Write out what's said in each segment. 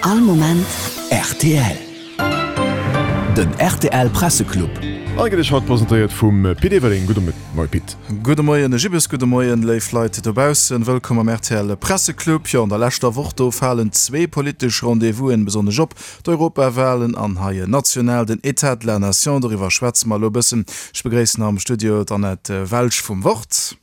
All Moment rtl. Den rtl Presseclub. An gëtt Iech haut presentéiert vum Pit Everling. Gudde Moie Pit. Gudde Moien Jibbes, gudde Moien léif Leit dobaussen. Wëllkomm am rtl Presseclub. Jo, an der leschter Woch do falen zwee politesch Rendez-vousen besonnesch op, d'Europawahlen an hei national den Etat de la Nation. Doriwwer schwätze mer elo e bëssen. Ech begréissen am Studio d'Annette Welsch vum Wort.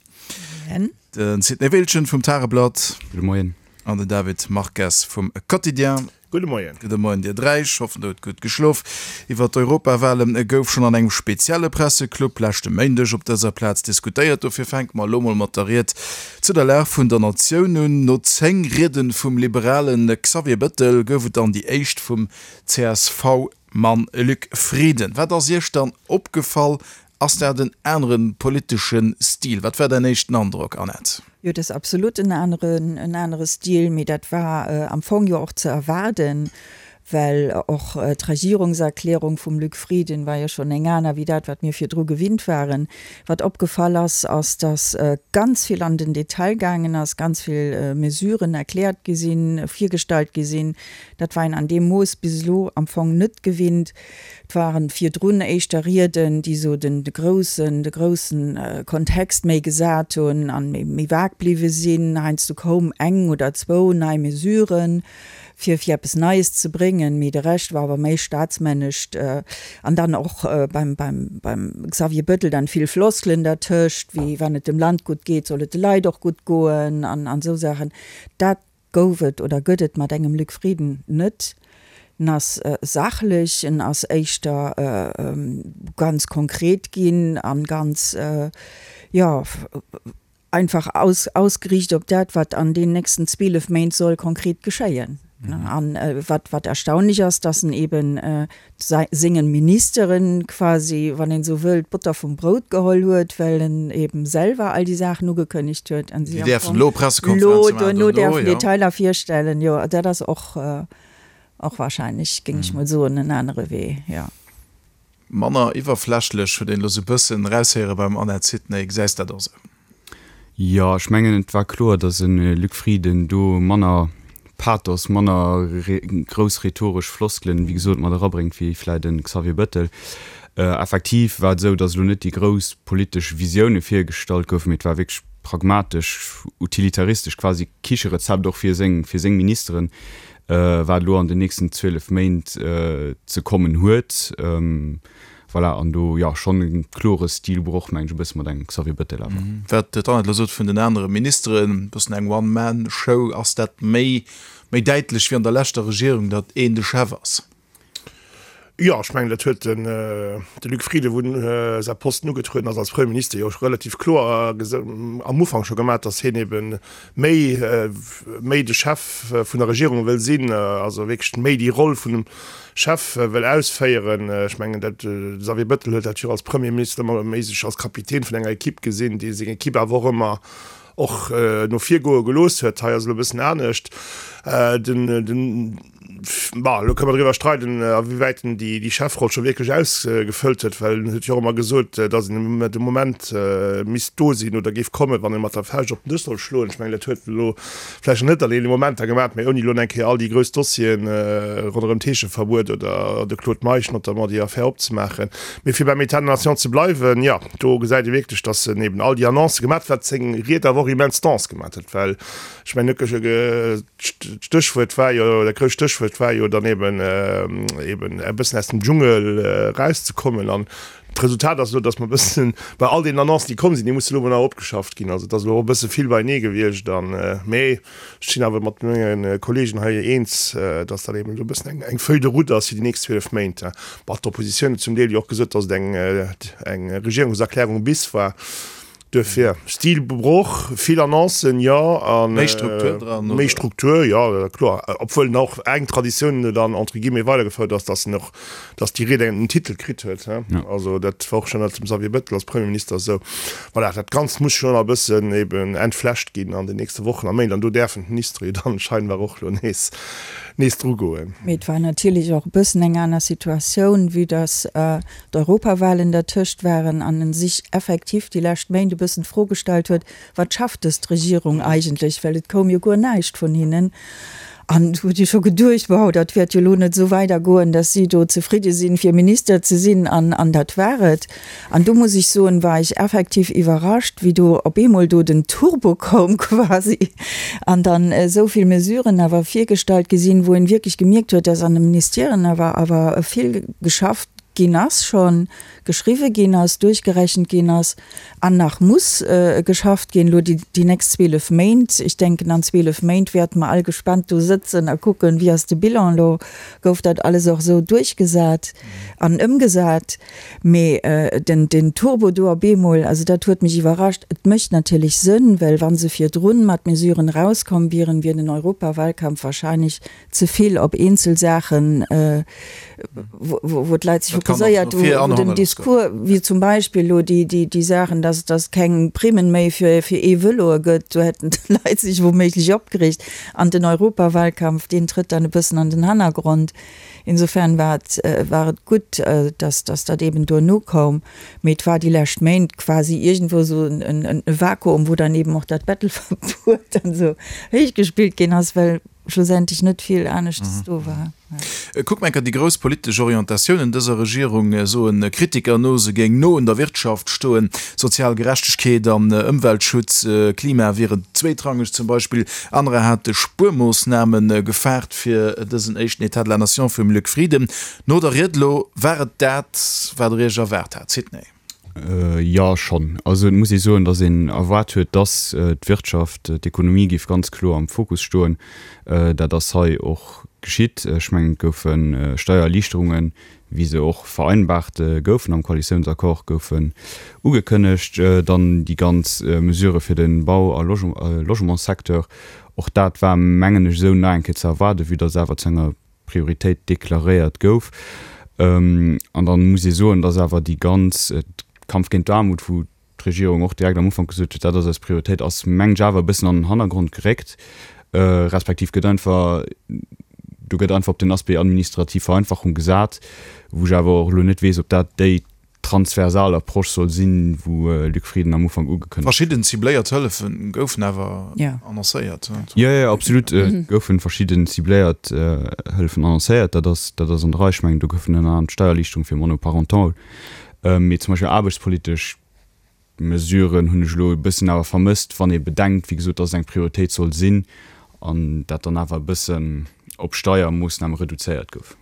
Moien. Den Sidney Wiltgen vum Tageblatt. Gudde Moien. An den David Marques vum Quotidien. Gudde Moien. Gudde Moien dir dräi. Ech hoffen der hutt gutt geschlof. Iwwer d'Europawale gouf schonn an engem spezielle Presseclub leschte Méindeg op dëser Plaz diskutéiert. Dofir fänke mer elo mol mat der Ried zu der Lag vun der Natioun un. No 10 Riede vum liberale Xavier Bëttel gouf et dann déi éischt vum CSV-Mann Luc Frieden. Wat ass Iech dann opgefall Ass dat en anere politesche Stil? Wat war däin éischten Androck, Annette? Jo, dat ass absolut en aneren, en anere Stil, mee dat war am Fong jo och ze erwaarden, well och d'Regierungserklärung vum Luc Frieden war jo schonn eng aner wéi dat, wat mir virdru gewinnt waren. Wat opgefall ass, ass, datt ganz vill an den Detail gaangen ass, ganz vill Mesuren erkläert gi sinn, virgestallt gi sinn. Dat war een an deem Mooss bis elo am Fong net gewinnt. Et waren virdrun éischter Rieden, déi esou den de groussen, de groussen Kontext méi gesat hunn an méi, méi vag bliwwe sinn. Heiansdo koum eng oder zwou nei Mesuren, fir, fir eppes Neies ze bréngen, mee de Rescht war awer méi staatsmännescht. An dann och beim, beim, beim Xavier Bettel dann vill Floskelen dertëscht, wéi wann et dem Land gutt geet, soll et de Leit och gutt goen an, an esou Saachen. Dat Gouf et oder gëtt et mat engem Luc Frieden net. En ass sachlech, en ass éischter ganz konkret ginn a ganz, jo, einfach ausgeriicht op dat, wat an deenen nächsten 12 Méint soll konkret geschéien. An wat, wat erstaunlech ass, dass en eben sengen Ministeren quasi, wann een esou wëll, d'Botter vum Brout geholl huet, well en eben selwer all déi Saachen ugekënnegt huet an si am Fong elo duerno däerfen Detailer virstellen. Jo, dat ass och, och wahrscheinlech, géing ech mol soen, en anere Wee, jo. Manner iwwerflächlech, huet een elo sou e bëssen eraushéiere beim Annette Sidney. Gesäis dat och esou? Jo, ech mengen et war kloer, datt e Luc Frieden do manner Pathos, manner grouss rhetoresch Floskelen, wéi gesot, mat erabréngt wéi vläit e Xavier Bettel. Effektiv war et esou, datt elo net déi grouss politesch Visioune virgestallt goufen, mee et war wierklech pragmatesch, utilitaristesch, quasi Kicherezept och fir seng, fir seng Ministeren, wat elo an den nächsten 12 Méint ze kommen huet. Voilà, an do, jo, schonn e klore Stilbroch, mengen ech, e bësse mat engem Xavier Bettel awer. Wat d'Annette elo sot vun den anere Ministeren, e bëssen eng One-Man-Show, ass dat méi, méi däitlech wéi an der leschter Regierung, datt een de Chef ass? Jo, ech mengen, dat huet den de Luc Frieden, wou en säi Posten ugetrueden ass als Premierminister, jo relativ kloer am Ufank scho gemaach, datt hien ebe méi, méi de Chef vun der Regierung wëll sinn, also wierklech méi déi Roll vun dem Chef wëll ausféieren. Ech mengen, dat de Xavier Bettel huet dat jo als Premierminister ëmmer méi sech als Kapitän vun enger Equipe gesinn, dee seng Equipe awer och ëmmer och no vir goe gelooss huet. Hei ass elo e bëssen anescht. Den, den, bon, elo kënne mer driwwer streiden, a wéi wäit en déi, déi Chefroll scho wierklech ausgefëllt huet, well en huet jo och ëmmer gesot, datt en de Moment misst do sinn oder géif kommen, wann e mat der Fauscht op den Dësch soll schloen. Ech mengen, dat huet en elo vläicht nach net an deene Momenter gemaach, mä ouni elo eng Kéier all déi grouss Dossieren ronderëm d'Heescheverbuet oder de Claude Meisch notamment, déi Affär opzemaachen. Mee fir beim État de la nation ze bleiwen, jo, do gesäit ee wierklech, datt en eben all déi Annoncë gemaach huet, wat seng Ried awer och immens dense gemaach huet, well ech mengen, d'Stéchwuert war jo, dat grousst Stéchwuert war jo dann eben, eben e bëssen aus dem Dschungel erauszekommen. An d'Resultat ass elo, datt mer e bëssen bei all deenen Annoncen, déi komm sinn, déi musse elo emol nach opgeschafft ginn. Also et ass elo och e bësse vill beienee gewiescht. An, mee Ech sinn awer mat menge Kollegen hei eens, dass dat eben esou e bëssen eng Feuille de route ass fir déi nächst 12 Méint. Bon, d'Oppositioun huet zum Deel jo och gesot, dass et eng Regierungserklärung bis war. Duerfir, Stilbroch, vill Annoncen, jo, a méi Struktur dran, oder? Méi Struktur, jo, kloer. Obwuel en och eng Traditioun dann entre guillemets weidergefouert ass, dass en och dass déi Ried en Titel kritt huet. Also dat war och schonn ënnert dem Xavier Bettel als Premierminister esou. Voilà, dat Ganzt muss schonn nach e bëssen eben entflecht ginn an den nächste Wochen a Méint an do däerfen d'Ministere jo dann scheinbar och elo nees nees dru goen. Mee et war natierlech och e bëssen eng aner Situatioun, vue dass d'Europawahlen dertëscht waren an en sech effektiv déi lescht Méint e bëssen d'Fro gestallt huet, Wat schafft dëst Regierung eigentlech? Well et koum jo guer näischt vun hinnen. An do huet ee scho geduecht, wow, dat wäert jo elo net esou weidergoen, dass si do zefridde sinn, fir Minister ze sinn. An, an dat war et. An do muss ech soen, war ech effektiv iwwerrascht, wéi do op eemol do den Turbo koum quasi an dann esou vill Mesuren awer virgestallt gi sinn, wou een wierklech gemierkt huet, dass an de Ministèren awer, awer vill geschafft ginn ass schonn, geschriwwe ginn ass, duerchgerechent ginn ass an nach muss geschafft ginn, elo déi nächst 12 Méint. Ech denken, an 12 Méint wäerte mer all gespannt do sëtzen a kucken, wéi ass de Bilan elo, gouf dat alles och esou duerchgesat an ëmgesat. Mee den Turbo do op eemol, also dat huet mech iwwerrascht. Et mécht natierlech Sënn, well wa se virdrun mat Mesuren erauskomm wieren, wier den Europawahlkampf wahrscheinlech ze vill op eenzel Saachen, wou d'Leit sech fokuséiert hu, wou den Discours, wéi zum Beispill elo déi Saachen, dass et keng Primmen méi fir E-Vëloe gëtt, do hätten d'Leit sech wouméiglech opgereegt. An den Europawahlkampf, deen trëtt dann e bëssen an den Hannergrond. Insofern war et, war et gutt, dass dat eben duerno koum. Mee et war déi lescht Méint quasi iergendwou esou en Vakuum, wou dann eben och dat Bettelverbuet dann esou héichgespillt ginn ass, well schlussendlech net vill aneschtes do war. Kuck mer enker déi grouss politesch Orientatiounen dëser Regierung, soen Kritiker no, se géing no un der Wirtschaft stoen. Sozial Gerechtegkeet an Ëmweltschutz, Klima wieren zweetrangeg zum Beispill. Anerer hate Spuermoossname gefaart fir dësen éischten Etat de la Nation vum Luc Frieden. No der Ried elo, war et dat, wat der Iech erwaart hat, Sidney? Jo, schonn. Also et muss ee soen, datt een erwaart huet, datt d'Wirtschaft, d'Ekonomie géif ganz kloer am Fokus stoen. Dat ass hei och geschitt. Ech mengen, et goufe Steiererliichterungen, wéi se och vereinbaart goufen am Koalitiounsaccord, goufen ugekënnegt. Dann déi ganz Mesurë fir de Bau a Logementssecteur, och dat war, mengen ech, esou nach eng Kéier ze erwaarden, vue datt et awer zu enger Prioritéit deklaréiert gouf. An da muss ee soen, dass awer déi ganz Kampf géint d'Aarmut, wou d'Regierung och direkt am Ufank gesot huet, dat ass eis Prioritéit, ass mengen ech awer e bëssen an den Hannergrond geréckt, respektiv gëtt einfach, do gëtt einfach op den Aspect administrativ Vereinfachung gesat, wou ech awer och elo net weess, ob dat déi transversal Approche soll sinn, wou Luc Frieden am Ufank ugekënnegt. Verschidden cibléiert Hëllefe goufen awer annoncéiert. Jo, jo, absolut, et goufe verschidden cibléiert Hëllefen annoncéiert, dat ass, dat ass an der Rei. Ech mengen, do goufen ënner anerem d'Steiererliichterung fir Monoparentaux, mee zum Beispill aarbechtspolitesch Mesuren hunn ech elo e bëssen awer vermësst, wann ee bedenkt, wéi gesot, dass et eng Prioritéit soll sinn an dat dann awer e bëssen op Steiermoossname reduzéiert gouf.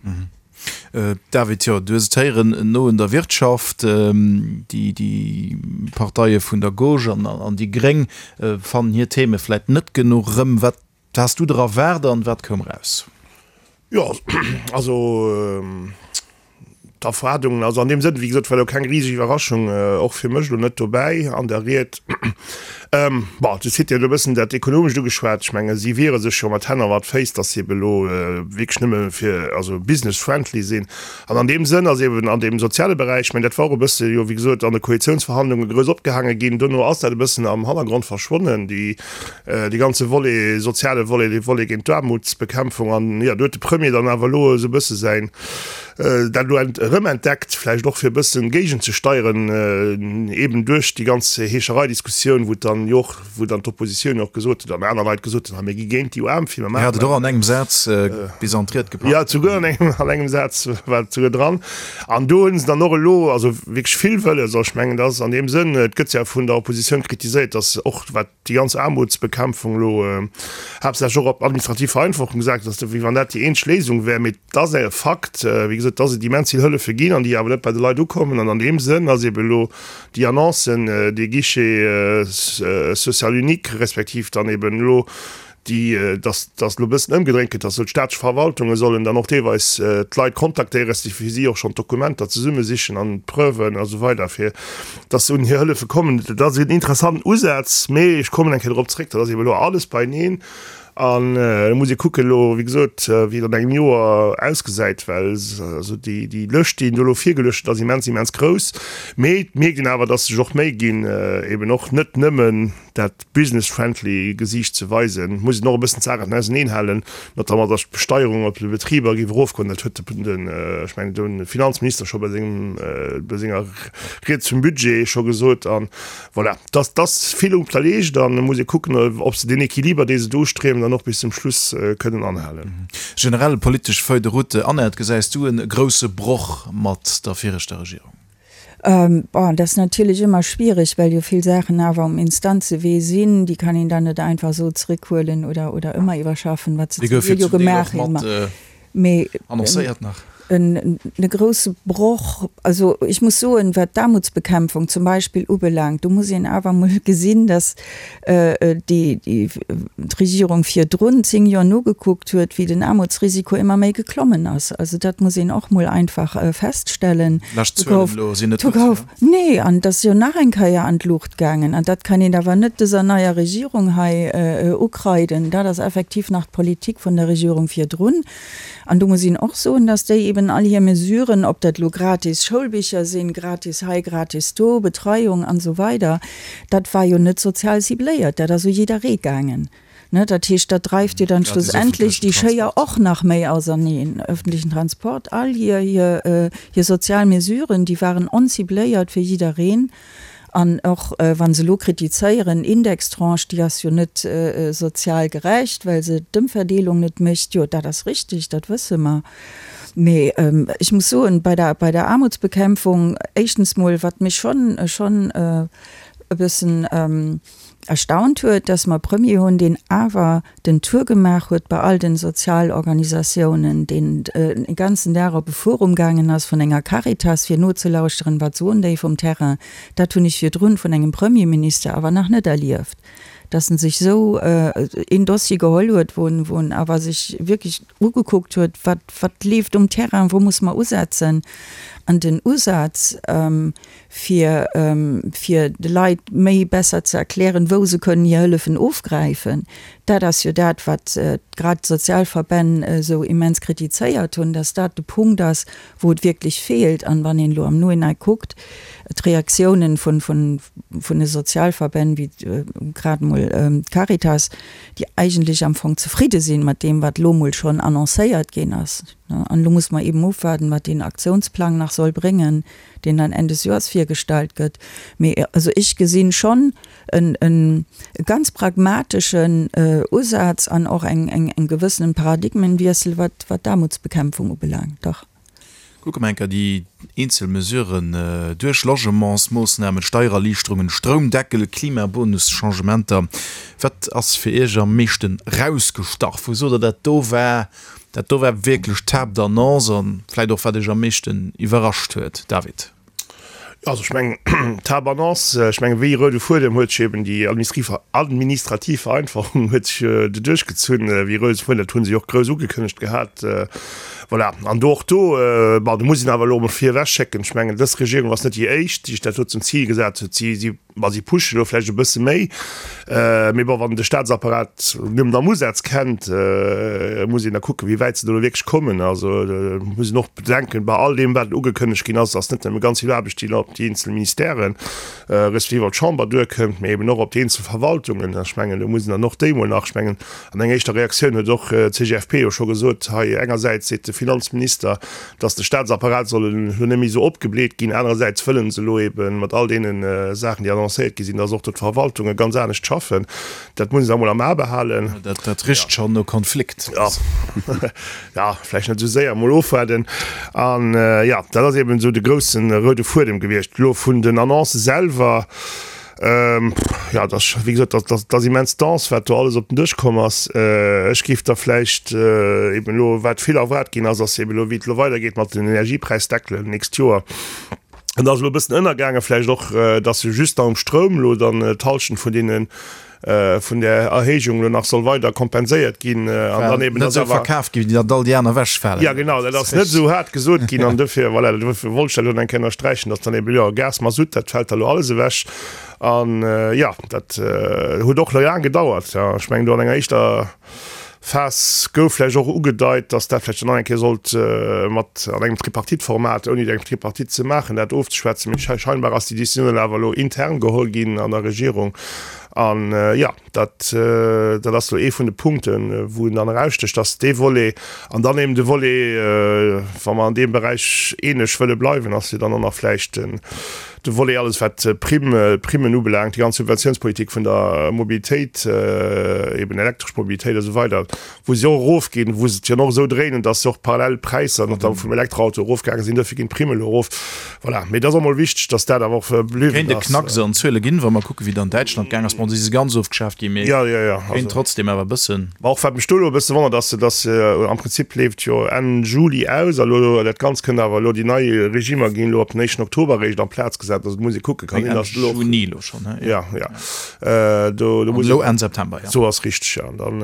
David, jo, du hues et héieren, no un der Wirtschaft, déi Parteie vun der Gauche an déi Gréng fannen hir Theme vläit net genuch erëm. Wat has du der erwaart an wat koum eraus? Jo, also d'Erwaardungen, also an deem Sënn, wéi gesot, war elo keng riseg Iwwerraschung och fir mech elo net dobäi an der Ried. Bon, de Site huet elo e bëssen dat Ekonomescht ugeschwat. Ech menge si wiere sech jo mat Hänn a mat Féiss, datt si ebe elo wierklech nëmme fir, also business friendly sinn. An an deem Sënn ass eben an deem soziale Beräich, ech mengen dat war och e bësse jo wéi gesot an de Koalitiounsverhandlunge grouss opgehaange ginn, dono ass dat e bëssen am Hannergrond verschwonnen, déi, dee ganze Volet, soziale Volet, dee Volet géint d'Aarmutsbekämpfung. An jo, do huet de Premier dann awer elo esou e bësse säin, dat elo erëmentdeckt, vläicht och fir e bëssen géigenzesteieren, eben duerch déi ganz Heeschereidiskussioun, wou dann jo och, wou dann d'Oppositioun jo och gesot huet an aner Leit gesot hunn, ha mir gi géint déi UAM fir, mir maachen. Dir hat et och an engem Saz bis an d'Ried gepackt. Jo, souguer an engem, an engem Saz war et souguer dran. An do hunn se dann och elo, also wierklech vill wëlles, also ech mengen, dat ass an deem Sënn, et gëtt ja vun der Oppositioun kritiséiert, datt och wat déi ganz Aarmutsbekämpfung elo haaptsächlech och op administrativ Vereinfachung gesat ass, wéi wann dat déi eenzeg Léisung wär. Mee et ass e Fakt, wéi gesot, dass et immens vill Hëllefe ginn an déi awer net bei de Leit ukommen. An an deem Sënn ass eeben elo déi Annonce, dee Guichet social unique, respektiv dann eeben elo déi, dass dass elo e bëssen ëmgedréint gëtt, dass esou d'staatlech Verwaltunge sollen dann och deelweis d'Leit kontaktéieren, respektiv fir si och schonn d'Dokumenter zesummesichen an d'Preuven a sou weider, fir dass se un hir Hëllefe kommen. Dat ass en interessanten Usaz, mee ech kommen eng Kéier dorop zréck, dat ass eeben elo alles beieneen an da muss ee kucken elo, wéi gesot, wéi et an engem Joer ausgesäit, well also déi déi Lëscht, déi een do elo virgeluecht huet, ass immens, immens grouss. Mee et mierkt een awer, dass sech och Méi ginn, eeben och net nëmmen dat business-friendly Gesiicht ze weisen, muss een och e bëssen d'Saachen auseneen halen, notamment datt d'Besteierung op de Betriber géif erofgoen. Dat huet den, ech mengen, de Finanzminister scho bei sengem, bei senger Ried zum Budget scho gesot. An voilà, dass dass vill op der Leescht an et muss ee kucken, ob se deen Equiliber, dee se do ustriewen. dann och bis zum Schluss kënnen anhalen. Generell politesch Feuille de route, Annette, gesäis du e grousse Broch mat der viregter Regierung? Bon, dat ass natierlech ëmmer schwiereg, well jo vill Saachen awer um Instanzewee sinn. Déi kann een dann net einfach esou zréckhuelen oder, oder ëmmer iwwerschaffen, wat se zum Deel jo gemaach hunn. Mee en grousse Broch, also ech muss soen, wat d'Aarmutsbekämpfung zum Beispill ubelaangt, do muss een awer emol gesinn, datt déi d'Regierung virdrun 10 Joer nogekuckt huet, wéi den Aarmutsrisiko ëmmer méi geklommen ass. Also dat muss een och mol einfach feststellen. Lescht Zuelen elo sinn net gutt, jo? Nee, an et ass jo nach eng Kéier an d'Luucht gaangen. An dat kann een awer net dëser neier Regierung hei ukreiden. Dat ass effektiv nach d'Politik vun der Regierung virdrun. An do muss een och soen, dass déi eben all hir Mesuren, ob dat elo gratis Schoulbicher sinn, gratis hei, gratis do, Betreiung an esou weider, dat war jo net sozial cibléiert, dat ass u jidderee gaangen. Ne, dat heescht, dat dreift jo dann schlussendlech déi Schéier och nach méi auserneen. Öffentlichen Transport, all hir, hir, hir sozial Mesuren, déi waren oncibléiert fir jiddereen. An och wa se elo kritizéieren, Indextranche, déi ass jo net sozial gerecht, well se d'Ëmverdeelung net mécht. Jo, dat ass richtig, dat wësse mer. Mee ech muss soen, bei der, bei der Aarmutsbekämpfung, éischtens mol, wat mech schonn, schonn e bëssen erstaunt huet, dass mer e Premier hunn, deen awer den Tour gemaach huet bei all den Sozialorganisatiounen, deen e ganzen Dag op e Forum gaangen ass vun enger Caritas, fir nozelauschteren, wat soen déi vum Terrain. Dat hunn ech virdrun vun engem Premierminister awer nach net erlieft, dass en sech esou een Dossier geholl huet, wou en, wou en awer sech wierklech ugekuckt huet, wat, wat leeft um Terrain, wou muss mer usetzen. An den Usaz, fir fir de Leit méi besser ze erklären, wou se kënnen hir Hëllefen ofgräifen. Dat ass jo dat, wat grad d'Sozialverbänn esou immens kritizéiert hunn, dass dat de Punkt ass, wou et wierklech feelt. An wann een elo am Nohinein kuckt, d'Reaktiounen vun vun vun de Sozialverbänn, wéi grad emol d'Caritas, déi eigentlech am Fong zefridde sinn mat deem, wat elo emol schonn annoncéiert ginn ass. An elo muss mer eben ofwaarden, wat deen Aktiounsplang nach soll bréngen, deen dann Enn des Joers virgestallt gëtt. Mee also ech gesinn schonn en e ganz pragmateschen Usaz an och eng eng gewëssenen Paradigmenwiessel, wat wat d'Aarmutsbekämpfung ubelaangt, dach. Kucke mer eng Kéier déi eenzel Mesuren duerch, Logementsmoossnamen, Steiererliichterungen, Stroumdeckel, Klimabonus, Changementer. Wat ass fir Iech am meeschten rausgestach? Wou sot Der, dat do war Dat do war wierklech d'Haaptannonce an vläit och wat Iech am meeschten iwwerrascht huet, David? Jo, also ech mengen, d'Haaptannonce, ech mengen, wéi roude Fuedem huet sech eben déi administrativ Vereinfachung huet sech do duerchgezunn, wéi roude Fuedem, dat hu se jo och grouss ugekënnegt gehat. Voilà, an do och do, bon, do muss een awer elo emol virewech schécken, ech mengen, dës Regierung ass net déi éischt, déi sech dat do zum Zil gesat huet. Si, si Ma si pushen elo vläicht e bësse méi. Mee bon, wann de Staatsapparat nëmmen am Usaz kennt, muss een da kucken, wéi wäit se do elo wierklech kommen. Also muss een och bedenken, bei all deem, wat ugekënnegt ginn ass, ass net nëmme ganz vill Aarbecht, déi elo op déi eenzel Ministèren, respektiv op d'Chamber duerkënnt, mee eben och op déi eenzel Verwaltungen. Ech mengen, do mussen dann och déi mol nach, ech mengen, an enger éischter Reaktioun huet och d'CGFP jo scho gesot, hei engersäits seet de Finanzminister, dass de Staatsapparat soll elo net méi esou opgebleet ginn, anerersäits wëllen se elo ebe mat all deene Saachen, déi annoncéiert gi sinn, dass och do d'Verwaltunge ganz anescht schaffen. Dat muss een da mol am A behalen. Dat richt schonn no Konflikt. Jo, jo, vläicht net esou séier, mol ofwaarden. An jo, dat ass eben esou de grousse roude Fuedem gewiescht. Elo vun den Annoncë selwer, Jo, dat ass, wéi gesot, dat, dat ass immens dense, wat do alles op den Dësch komm ass. Ech géif da vläicht eben elo, wat vill erwaart ginn ass, ass eben elo, wéi et elo weidergeet mat den Energiepräisdeckelen d'nächst Joer. An da ass elo e bëssen ënnergaangen vläicht och, dass jo just da um Stroum elo dann d'Hallschent vun deenen, vun där Erhéijung elo nach soll weider kompenséiert ginn an dann eben, dass awer. Net esou verkaf ginn, datt all déi aner ewechfalen. Jo, genau, dat ass net esou haart gesot ginn an dofir, voilà, dofir wollt ech dat elo nach eng Kéier ënnersträichen, dass dann eben, jo, Gas, Masutt, dat fält da elo alles ewech an, jo, dat huet och laang gedauert. Jo, ech mengen do an enger éischter Phas gouf vläicht och ugedeit, dass dat vläicht dann nach eng Kéier sollt mat an engem Tripartite-Format, ouni eng Tripartite ze maachen, dat ofzeschwätzen. Mee scheinbar ass déi Décisioun dann awer elo intern geholl ginn an der Regierung. An, jo, dat, dat ass elo ee vun de Punkten, wou en dann erausstécht, dass dee Volet an dann eben de Volet, wa mer an deem Beräich eeneg wëlle bleiwen, ass jo dann och nach vläicht den. De Volet alles wat d'Primm, d'Primmen ubelaangt, déi ganz Subventiounspolitik vun der Mobilitéit, eben elektresch Mobilitéit a sou weider, wou se och erofginn, wou se et jo och esou dréinen, datt se och parallel d'Präisser notamment vum Elektroauto erofgaange sinn, dofir ginn d'Primme elo erof. Voilà. Mee et ass och mol wichteg, datt dat awer och bliwwen Kéint e ass. Knacks an Zuele ginn, wa mer kucken, wéi et an Däitschland gaang ass. Bon, si si ganz ofgeschaaft ginn, mee Ja, ja, ja. kéint trotzdem awer e bëssen. Ma och wat mech do elo e bësse wonnert, ass, datt am Prinzip leeft jo Enn Juli aus a lo dat Ganzt kënnt awer elo, déi nei Regimer ginn elo ab den éischten Oktober eréischt en place gesat. Also do muss ee kucken, kann sinn, datt elo och. Enn Juni elo schonn, he? Ja, ja. Do, do muss. Elo Enn September, ja. Sou ass richteg, ja. An dann,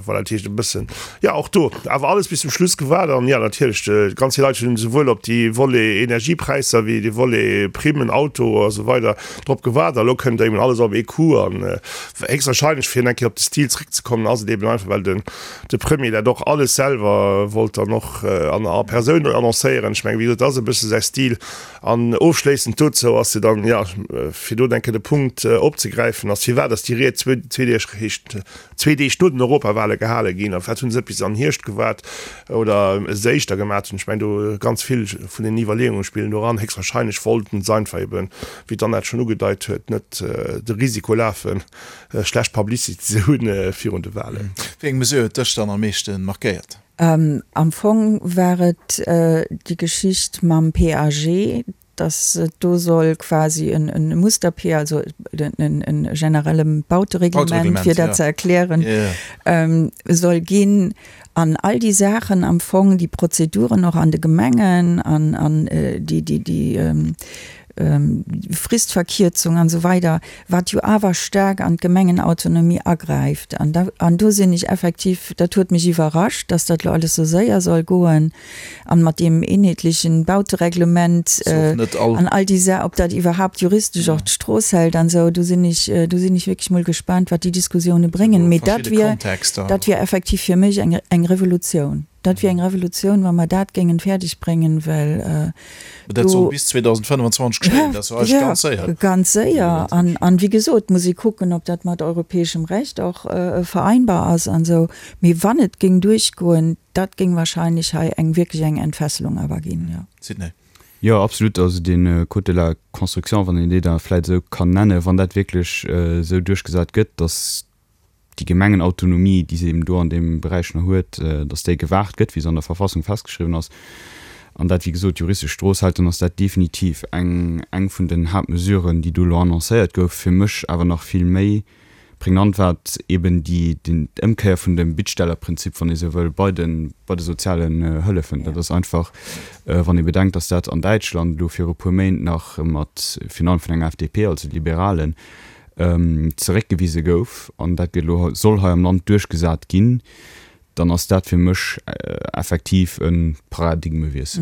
voilà, dat heescht e bëssen, jo, och do awer alles bis zum Schluss gewaart. An jo, natierlech, ganz vill Leit hunn esouwuel op déi Volet Energiepräisser wéi de Volet Primmen, Auto a sou weider drop gewaart. A lo kënnt eben alles op ee Coup an héchstwahrscheinlech, fir eng Kéier op de Stil zréckzekommen, ass et eben einfach, well den de Premier dat och alles selwer wollt dann och an a Persoun annoncéieren. Ech mengen, wéi gesot, dat ass e bësse säi Stil. An ofschléissend dozou ass jo dann, jo, fir do eng Kéier de Punkt opzegräifen, ass, firwat ass déi Ried zwee Deeg, heescht zwee Deeg no den Europawale gehale ginn? A firwat hu se net bis an den Hierscht gewaart oder es éischter gemaat hunn? Ech mengen, do ganz vill vun den Iwwerleeunge spillen do eran. Héchstwahrscheinlech wollten se einfach eben, wéi d'Annette schonn ugedeit huet, net de Risiko lafen, schlecht Publicity ze hunn virun de Walen. Wéi eng Mesure huet dech dann am meeschte markéiert? Am Fong war et déi Geschicht mam PAG, datt et do soll quasi e Muster-P, also e generelle Bautereglement, fir dat ze erklären, soll ginn. An all déi Saachen am Fong, déi Prozeduren och an de Gemengen an déi Fristverkierzung an esou weider, wat jo awer staark an d'Gemengenautonomie agräift. An da, an do sinn ech effektiv, dat huet mech iwwerrascht, dass dat elo alles esou séier soll goen an mat deem eenheetlechen Bautereglement an all déi Sa, ob dat iwwerhaupt juristesch och d'Strooss hält an esou. Do sinn ech, do sinn ech wierklech mol gespaant, wat déi Diskussioune bréngen. Mee dat wier, dat wier effektiv fir mech eng, eng Revolutioun. Dat wier eng Revolutioun, wa mer dat géingen fäerdeg bréngen, well do. Dat soll bis 2025 geschéien, dat ass jo eigentlech ganz séier. Ganz séier. An, an wéi gesot, muss ee kucken, ob dat mat europäeschem Recht och vereinbar ass an esou. Mee wann et géing duerchgoen, dat géing wahrscheinlech hei eng wierklech eng Entfesselung awer ginn, jo. Sidney. Jo, absolut. Also dee Code de la construction, wann een dee da vläicht esou kann nennen, wann dat wierklech esou duerchgesat gëtt, datt déi Gemengenautonomie, déi se eben do an deem Beräich nach huet, datt déi gewaart gëtt, wéi se an der Verfassung festgeschriwwen ass, an dat, wéi gesot, juristesch Strooss hält, dann ass dat definitiv eng, eng vun den Haaptmesuren, déi do elo annoncéiert gouf. Fir mech awer nach vill méi pregnant war eben déi, den, d'Ëmkéier vun dem Bittstellerprinzip, wann ee sou wëll, bei de, bei de sozialen Hëllefen. Dat ass einfach, wann ee bedenkt, datt dat an Däitschland elo viru puer Méint nach mat, virun allem vun enger FDP, also Liberalen, zeréckgewise gouf, an dat gëtt elo, soll hei am Land duerchgesat ginn, dann ass dat fir mech effektiv e Paradigmewiessel.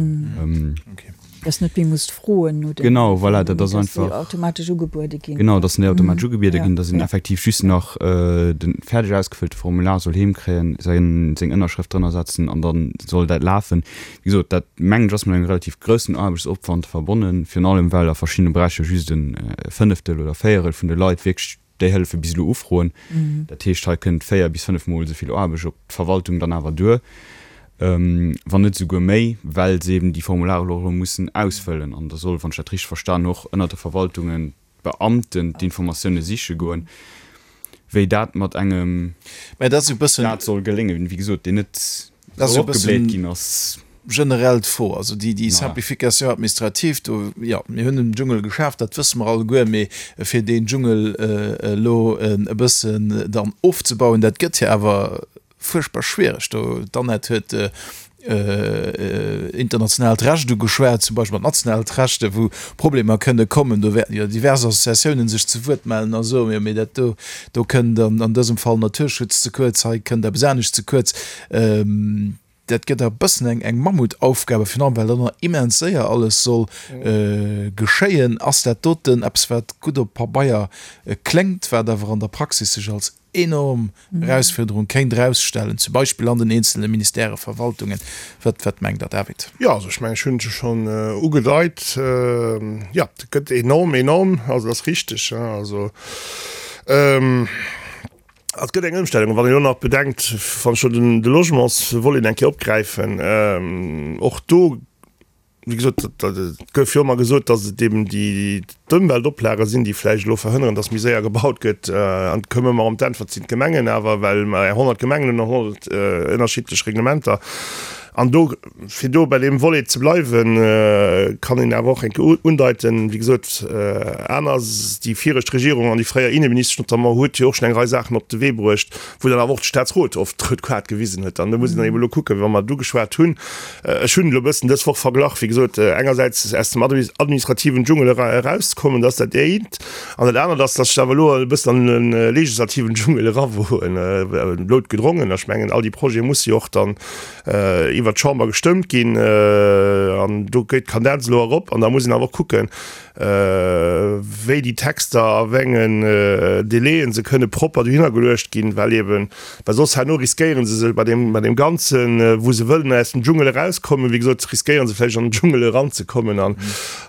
Dass net méi muss froen no den Genau, voilà, dat ass einfach. Dass déi automatesch ugebuede ginn. Genau, dass déi automatesch ugebiede ginn, dass een effektiv just nach de fäerdeg ausgefëllte Formular soll heemkréien, seng Ënnerschrëft drënner setzen an da soll dat lafen. Wéi gesot, dat mengen ech ass mat engem relativ groussen Aarbechtsopwand verbonnen, virun allem well a verschiddene Beräicher just e Fënneftel oder Véierel vun de Leit wierklech déi Hëllefe bis elo ufroen. Dat heescht, hei kënnt 4 bis 5 Mol esou vill Aarbecht op d'Verwaltung dann awer duer, wann net esouguer méi, well se eben déi Formulare elo och elo mussen ausfëllen. An da soll, wann ech dat richteg verstan, och ënnert de Verwaltungen d'Beamten d'Informatioune siche goen, wéi dat mat engem Staat soll geléngen, wéi gesot, deen net soll opgebléit ginn ass. Generell d'Fro, also déi Simplification administrative do, jo, mir hunn en Dschungel geschaaft, dat wësse mer alleguer, mee fir deen Dschungel elo e bëssen dann ofzebauen, dat gëtt jo awer fuerchtbar schwiereg do. D'Annette huet internationaalt Recht ugeschwat, zum Beispill mat nationaalt Recht, wou Problemer kënne kommen. Do wäerten jo divers Associatiounen sech zu Wuert mellen a soen, jo mee dat do, do kënnt an dësem Fall Naturschutz ze kuerz, hei kënnt eppes anescht ze kuerz. Dat gëtt e bëssen eng eng Mammutaufgabe, virun allem well dann nach immens séier alles soll geschéien. Ass dat doten eppes, wat gutt op Pabeier kléngt, wat awer an der Praxis sech als enorm Erausfuerderung kéint erausstellen, zum Beispill an den eenzele Ministèrë, Verwaltungen. Wat, wat mengt Der, David? Jo, also ech mengen, ech hunn et jo schonn ugedeit. Jo, et gëtt enorm, enorm, also dat ass richteg. Also et gëtt eng Ëmstellung, wann een elo nach bedenkt, wann ech elo den, de Logementsvolet eng Kéier opgräifen, och do. Wéi gesot, et gouf jo ëmmer gesot, datt et eben déi d'Ëmweltoplage sinn, déi vläicht elo verhënneren, datt méi séier gebaut gëtt. An et koum ëmmer erëm d'Äntwert, et sinn d'Gemengen awer, well mer 100 Gemengen hunn an 100 ënnerschiddlech Reglementer. An do, fir do bei deem Volet ze bleiwen, kann een awer och eng Kéier undeiten, wéi gesot, aner, déi viregt Regierung an déi fréier Inneministesch notamment huet jo och schonn eng Rei Saachen op de Wee bruecht, wou dann awer och de Staatsrot oft d'rout Kaart gewisen huet. An do muss een dann eben elo kucken, wa mer do geschwat hunn, ech hunn elo e bëssen dës Woch verglach, wéi gesot, engersäits aus dem administrativen Dschungel erauszekommen, dat ass dat eent, an dat anert ass, datt ech awer elo e bëssen an de legislativen Dschungel erawoen, nout gedrongen. Ech mengen, all déi Projete musse jo och dann iwwert d'Chamber gestëmmt ginn, an do geet d'Kadenz elo erop, an da muss een awer och kucken, wéi déi Texter a wéi engen Délaiën se kënne propper dohinner geluecht ginn, well eben, well soss herno riskéiere se sech bei deem, bei deem Ganzen, wou se wëllen aus dem Dschungel erauskommen, wéi gesot, riskéiere se vläicht an den Dschungel eranzekommen an,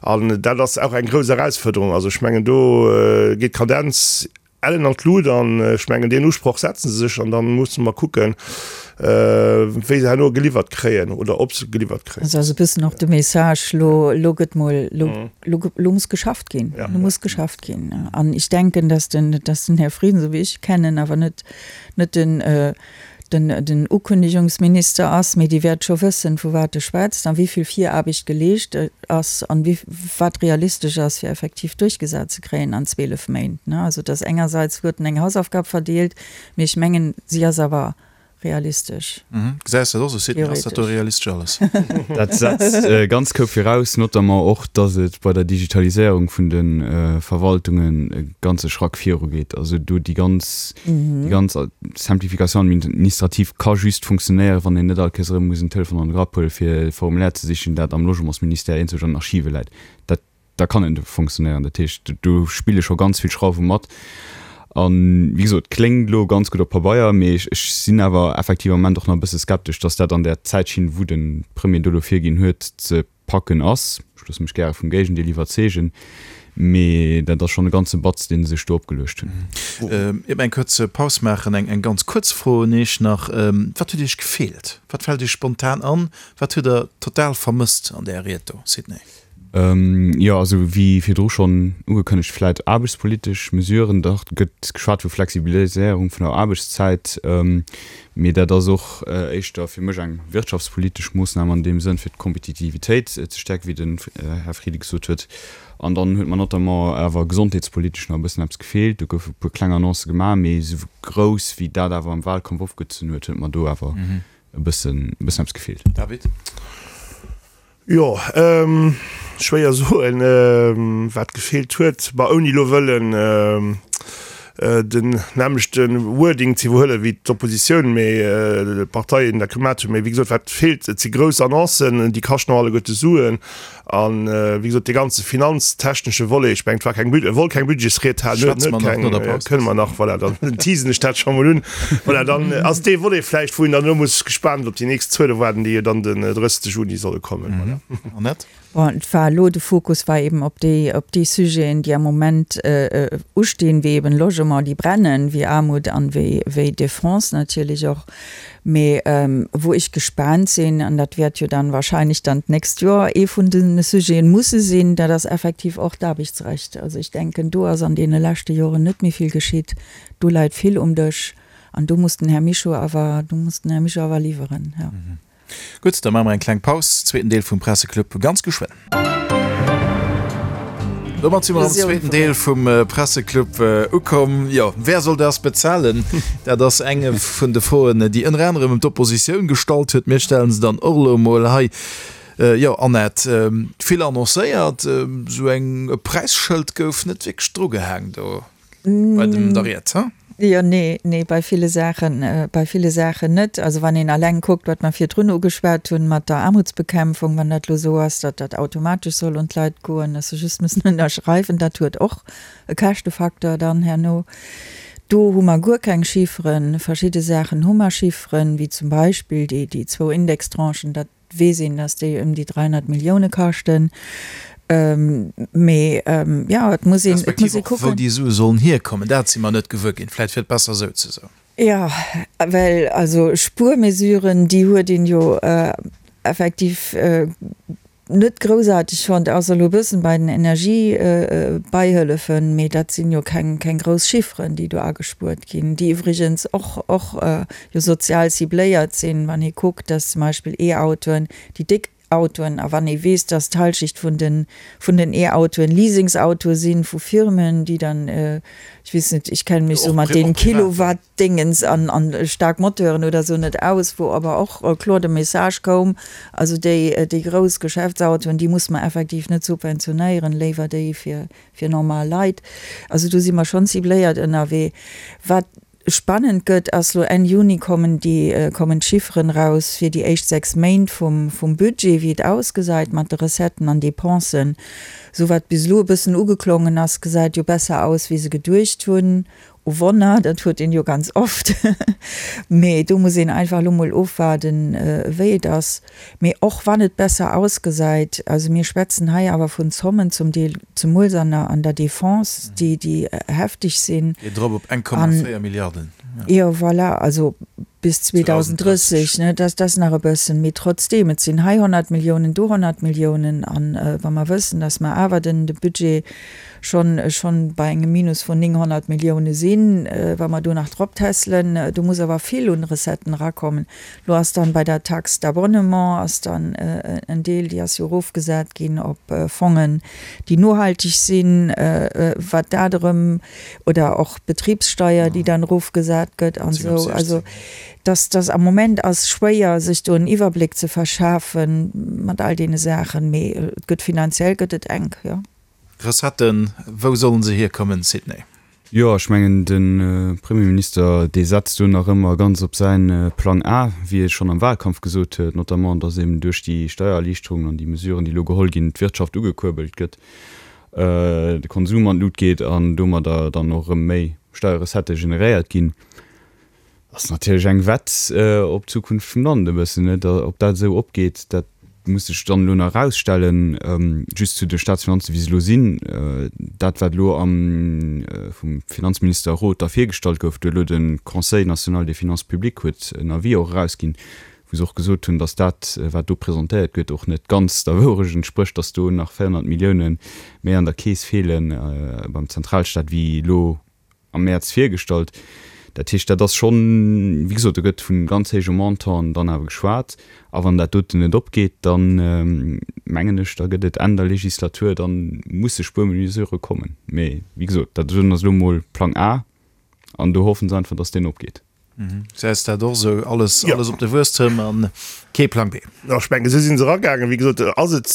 an dat ass och eng grouss Erausfuerderung. Also ech mengen, do geet d'Kadenz Ellen an d'Lut an ech mengen deen Usproch setzen se sech an dann musse mer kucken, wéi se herno geliwwert kréien oder ob se geliwwert kréien. Also ass e bëssen och de Message, lo, lo gëtt mol, lo, lo, lo muss geschafft ginn, lo muss geschafft ginn. An ich denken, dass den, dass den Här Frieden, esou wéi ech e kennen, awer net, net den, den den Ukündigungsminister ass, mee dee wäert scho wëssen, vu wat e schwätzt a wéi vill Viraarbecht geleescht ass an wéi wat realistesch ass, fir effektiv duerchgesat ze kréien an 12 Méint. Also et ass engersäits huet en eng Hausaufgab verdeelt, mee ech mengen, si ass awer realistesch. Gesäis dat och esou, Sidney? Ass dat do realistesch alles? Dat setzt e ganz Koup viraus, notamment och, datt et bei der Digitaliséierung vun de Verwaltungen e ganze Schrack virugeet. Also do déi ganz Déi ganz Simplification administrative ka just funktionéieren, wann een net all Kéiers erëm muss en Telefon an de Grapp huelen, fir e Formulaire ze sichen, dat am Logementsministère eenzelg an den Archive läit. Dat, da kann en funktionéieren. Dat heescht, do spille scho ganz vill Schrauwe mat. A wéi gesot, kléngt elo ganz gutt op Pabeier, mee ech sinn awer effektiv am Moment och nach e bësse skeptesch, dass dat an där Zäitschinn, wou de Premier do elo virginn huet, ze Packen ass. Ech loosse mech gäre vum Géigendeel iwwerzeegen, mee dat ass schonn e ganze Batz, dee se sech do opgeluecht hunn. Ier mer eng kuerz Paus maachen, eng ganz kuerz Fro un Iech nach, Wat huet Iech gefeelt? Wat fält Iech spontan an? Wat hutt Der total vermësst an där Ried do, Sidney? Jo, also wéi virdru schonn ugekënnegt, vläit aarbechtspolitesch Mesuren. Dach gëtt geschwat vu Flexibiliséierung vun der Aarbechtszäit. Mee dat ass och éischter fir mech eng wirtschaftspolitesch Moossnam an deem Sënn, fir d'Kompetitivitéit ze stäerken, wéi den Här Frieden gesot huet. An dann huet mer notamment awer gesondheetspolitesch nach e bëssen eppes gefeelt. Do goufe e puer kleng Annoncë gemaach, mee esou grouss, wéi dat awer am Wahlkampf opgezunn huet, huet mer do awer e bëssen eppes gefeelt. David. Jo, schwéier soen, wat gefeelt huet. Bah, ouni elo wëllen den nämmlechte Wording ze iwwerhuelen wéi d'Oppositioun, mee d'Parteien dat gemat hunn. Mee wéi gesot, wat feelt, et si grouss Annoncen, déi kaschten och alleguerte Suen. An wéi gesot, dee ganze finanztechnesche Volet, ech mengen, et war keng, e wollt keng Budgetsried halen, huet net keng, kënne mer nach, voilà, dann teasen ech dat scho mol un. Voilà, dann ass dee Volet vläicht, wou een dann elo muss gespaant op déi nächst Zuele waarden, déi jo dann den 30 Juni solle kommen. Voilà. Annette? Bon, et war elo, de Fokus war eben op déi, op déi Sujeten, déi am Moment ustinn, wéi eben Logement, déi brennen, wéi Aarmut an wéi, wéi Defense natierlech och. Mee wou ech gespaant sinn, an dat wäert jo dann wahrscheinlech dann d'nächst Joer ee vun de Sujeten musse sinn, dat ass effektiv och d'Aarbechtsrecht. Also ech denken, do ass an deene leschte Joren net méi vill geschitt. Do läit vill um Dësch an do muss den Här Mischo awer, do muss den Här Mischo awer liwweren, jo. Gutt, da maache mer eng kleng Paus. Zweeten Deel vum Presseclub ganz geschwënn. Domat si mer am zweeten Deel vum Presseclub ukomm. Jo, wer soll das bezahlen? Dat ass eng vun de Froen, déi ënner anerem d'Oppositioun gestallt huet. Mir stellen se dann och elo emol hei. Jo, Annette, vill annoncéiert, esou eng e Präisschëld gouf net wierklech drugehaang do. Bei dem der Ried, he? Jo, nee, nee, bei ville Saachen, bei ville Saachen net. Also wann een alleng kuckt, wat mer virdrun ugeschwat hunn mat der Aarmutsbekämpfung, wann dat elo esou ass, datt dat automatesch soll un d'Leit goen, datt se just müssen ënnerschreiwen, dat huet och e Käschtefaktor dann herno. Do hu mer guer keng Chifferen. Verschidde Saachen hu mer Chifferen, wéi zum Beispill déi, déi zwou Indextranchen, dat weess een, dass déi ëm déi 300 Millioune kaschten. Mee jo, et muss een, et muss ee kucken. Respektiv och, wou déi Sue sollen hierkommen, dat si mer net gewuer ginn. Vläicht wier et besser esou ze soen. Jo, well also Spuermesuren, déi huet een jo effektiv. net groussaarteg fonnt, ass elo e bëssen bei den Energiebeihëllefen, mee dat sinn jo keng, keng grouss Chifferen, déi do agespuert ginn, déi iwwregens och, och jo sozial cibléiert sinn, wann ee kuckt, dass zum Beispill E-Autoen, déi déck Autoen, a wann ee weess, dass d'Halschicht vun den, vun den E-Autoen Leasingsautoe sinn vu Firmen, déi dann, ech weess net, ech kenne mech sou mat deenen Kilowatt-Dingens an, an staark Moteuren oder sou net aus, wou awer och kloer de Message koum, also déi, déi grouss Geschäftsautoen, déi muss mer effektiv net subventionéieren, léiwer déi fir, fir normal Leit. Also do si mer schonn cibléiert ënnerwee. Wat Spannend gëtt, ass lo Enn Juni kommen déi kommen d'Chifferen raus fir déi éischt 6 Méint vum vum Budget, wéi et ausgesait mat de Recetten an Dépensen. Sou wat bis elo e bëssen ugeklongen ass, gesäit jo besser aus wéi se geduecht hunn. O Wonner, dat huet een jo ganz oft. Mee do muss een einfach elo mol ofwaarden wéi et ass. Mee och wann et besser ausgesäit, also mir schwätzen hei awer vun Zommen zum Deel, zemools an der, an der Defense, déi, déi heftig sinn. Geet erop op 1,4 Milliarden. Jo, voilà, also bis 2030, ne, dat ass nach e bëssen. Mee trotzdeem, et sinn hei 100 Milliounen, do 100 Milliounen. An wa mer wëssen, datt mer awer den, de Budget schonn, schonn bei engem Minus vun 900 Millioune sinn, wa mer do nach drop tässelen, do muss awer vill un Recetten erakommen. Lo ass dann bei der Taxe d'abonnement ass dann en Deel, déi ass jo erofgesat ginn op Fongen, déi nohalteg sinn, wat dat erëm, oder och d'Betribssteier, déi dann erofgesat gëtt an esou. Also dass dass am Moment ass schwéier, sech do en Iwwerbléck ze verschafe mat all deene Saachen, mee et gëtt finanziell gëtt et enk, jo. Recetten, wou sollen se hierkommen, Sidney? Jo, ech mengen, de Premierminister, dee setzt do nach ëmmer ganz op säin Plang A, wéi e schonn am Wahlkampf gesot huet, notamment, datt eben duerch déi Steiererliichterungen an déi Mesuren, déi elo geholl ginn, d'Wirtschaft ugekuerbelt gëtt, de Konsum an d'Lut geet an domadder dann och erëm méi Steierrecettë generéiert ginn. Ass natierlech eng Wett op d'Zukunft vum Land e bëssen, net? Ob dat esou opgeet, dat muss sech dann elo nach erausstellen. Just zu de Staatsfinanzen, wéi se elo sinn, Dat, wat elo am vum Finanzminister Roth da virgestallt gouf, do huet elo de Conseil national des finances publiques huet en Avis och erausginn, wou se och gesot hunn, datt dat, wat do presentéiert gëtt, och net ganz der Wourecht entsprécht, datt do nach 400 Millioune méi an der Keess feele beim Zentralstaat wéi elo am Mäerz virgestallt. Dat heescht, dat ass schonn, wéi gesot, do gëtt vu ganz héije Montanten dann awer geschwat. A wann dat doten net opgeet, da mengen ech, da gëtt et Enn der Legislatur, da musse Spuermesurë kommen. Mee wéi gesot, dat ass elo mol Plang A an do hoffe se einfach, datt deen opgeet. Gesäis dat och esou? Alles, alles op de Wuesstem an kee Plang B. Jo, ech mengen, esou si se eragaangen. Wéi gesot, ass et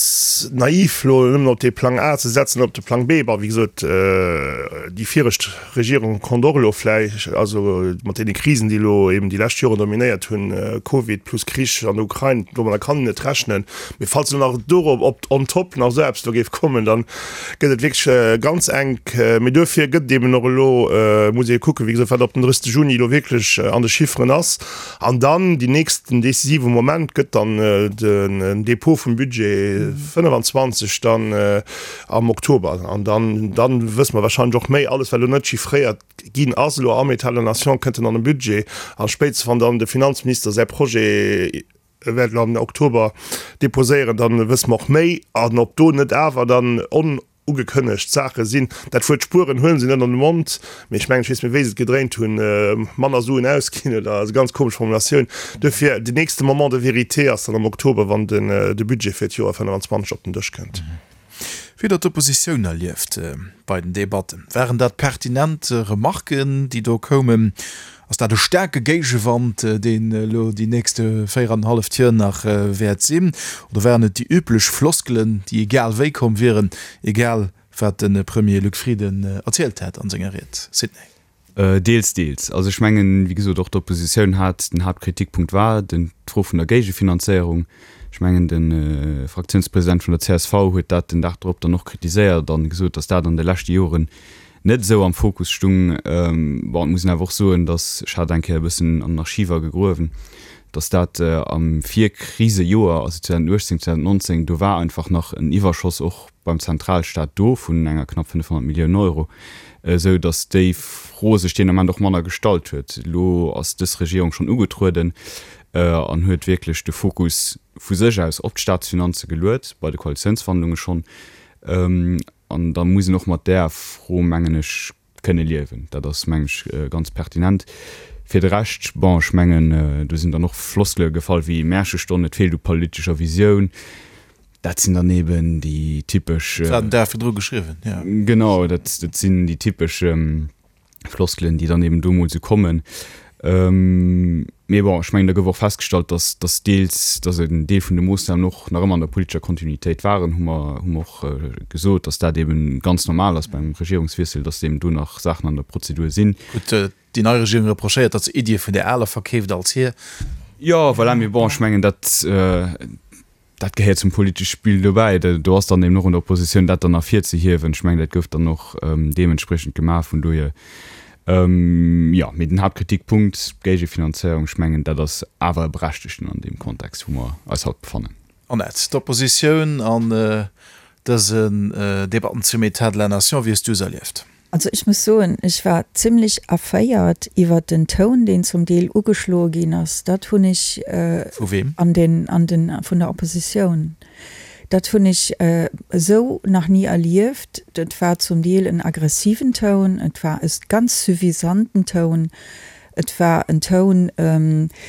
naiv, elo nëmmen op dee Plang A ze setzen, op de Plang B. Bon, wéi gesot, déi viregt Regierung konnt och elo vläicht, also mat deene Krisen, déi elo eben déi lescht Joren dominéiert hunn, Covid plus Krich an der Ukrain, domadder kann een net rechnen. Mee falls elo nach dorop op on top nach esou eppes do géif kommen, dann gëtt et wierklech ganz enk. Mee duerfir gëtt et eben och elo, muss ee kucken, wéi gesot, wat op den 30 Juni elo wierklech an de Chifferen ass. An dann deen nächsten decisive Moment gëtt dann den Dépôt vum Budget 25 dann am Oktober. An dann, dann wësse mer wahrscheinlech och méi. Alles, wat elo net chiffréiert ginn ass elo am État de la Nation, kënnt dann an de Budget. A spéitstens wann dann de Finanzminister säi Projet E wäert elo am Oktober deposéieren, dann wësse mer och méi. An ob do net awer dann onugekënnegt Saache sinn, dat Wuert spueren huele se net an de Mond, mee ech mengen, ech weess méi wéi se et gedréint hunn, manner Suen ausginn oder esou ganz komesch Formulatioun. Duerfir, den nächste Moment de vérité ass dann am Oktober, wann de Budget fir d'Joer 25 op den Dësch kënnt. Wéi der d'Oppositioun erlieft bei den Debatten? Waren dat pertinent Remarken, déi do koumen? Ass dat e staarke Géigewand, deen elo déi nächste 4 an en halleft Joer nach wäert sinn? Oder waren et déi üblech Floskelen, déi egal wéi komm wieren, egal wat de Premier Luc Frieden erzielt hätt an senger Ried? Sidney. Deels, deels. Also ech mengen, wéi gesot, och d'Oppositioun hat, den Haaptkritikpunkt war den, d'Fro vun der Géigefinanzéierung. Ech mengen, de Fraktiounspresident vun der csv huet dat den Dag drop dann och kritiséiert an gesot, datt dat an de leschte Joren net esou am Fokus stung. Bon, et muss een awer och soen, datt, ech hat eng Kéier e bëssen an den Archiver gegruewen. Datt dat am Virkrisejoer, also 2018, 2019, do war einfach nach en Iwwerschoss och beim Zentralstaat do vun enger knapp 500 Milliounen Euro, esou datt déi Fro sech deen Ament och manner gestallt huet. Elo ass dës Regierung schonn ugetrueden an huet wierklech de Fokus vu sech aus op d'Staatsfinanze geluet, bei de Koalitiounsverhandlunge schonn. An da muss een och mat där Fro, mengen ech, kënne liewen. Dat ass, mengen ech, ganz pertinent. Fir de Rescht, bon, ech mengen, do sinn dann och Floskele gefall wéi Märchestonn, et feelt u politescher Visioun. Dat sinn dann eben déi typesch. Dat war den Dag virdru geschriwwen, jo. Genau, dat sinn déi typesch Floskelen, déi dann eben do mol sou kommen. Mee bon, ech mengen, da gouf och festgestallt, dass, dass deels, dass en Deel vun de Moossnamen och nach ëmmer an der politescher Kontinuitéit waren, hu mer, hu mer och gesot, dass dat eben ganz normal ass beim Regierungswiessel, dass eben do nach Saachen an der Prozedur sinn. Gutt, déi nei Regierung reprochéiert, datt se Iddie vun där aler verkeeft als hir. Jo, voilà, mee bon, ech mengen, dat, Dat gehéiert zum politesche Spill dobäi. Do ass dann eben och un der Oppositioun, dat dann ervirzehiewen. Ech mengen, dat gouf dann och deementspriechend gemaach. Vun dohier, jo. Mee den Haaptkritikpunkt, d'Géigefinanzéierung, ech mengen, dat ass awer e berechtegten an deem Kontext, wou mer eis haut befannen. Annette, d'Oppositioun an dësen Debatten zum État de la Nation, wéi hues du se erlieft? Also ech muss soen, ech war zimlech erféiert iwwert den Toun, deen zum Deel ugeschloe ginn ass. Dat hunn ech Vu weem? an den, an den, vun der Oppositioun. Dat hunn ech esou nach ni erlieft. Et war zum Deel en aggressiven Toun, et war e ganz suffisanten Toun, et war en Toun,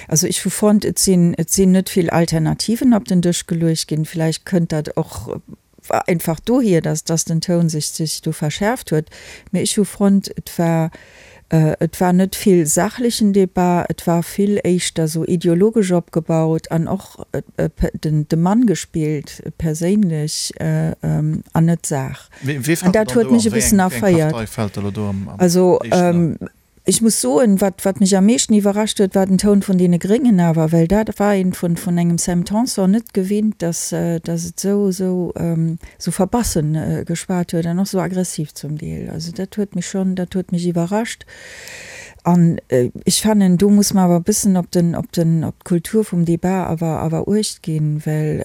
also ech hu fonnt, et sinn, et sinn net vill Alternativen op den Dësch geluecht ginn. Vläicht kënnt dat och war einfach dohier, dass dass den Toun sech sech do verschäerft huet. Mee ech hu fonnt, et war et war net vill sachlechen Debat, et war vill éischter sou ideologesch opgebaut an och den de Mann gespillt perséinlech an net d'Saach. An dat huet mech e bëssen erféiert. Also Ech muss soen, wat, wat mech am meeschten iwwerrascht huet, war den Toun vun deene Gréngen awer, well dat war een vun, vun engem Sam Tanson net gewinnt, dass, dass et esou, esou, esou verbassen geschwat huet an och esou aggressiv zum Deel. Also dat huet mech schonn, dat huet mech iwwerrascht. An ech fannen, do muss mer awer e bëssen op den, op den, op d'Kultur vum Débat awer, awer Uecht ginn, well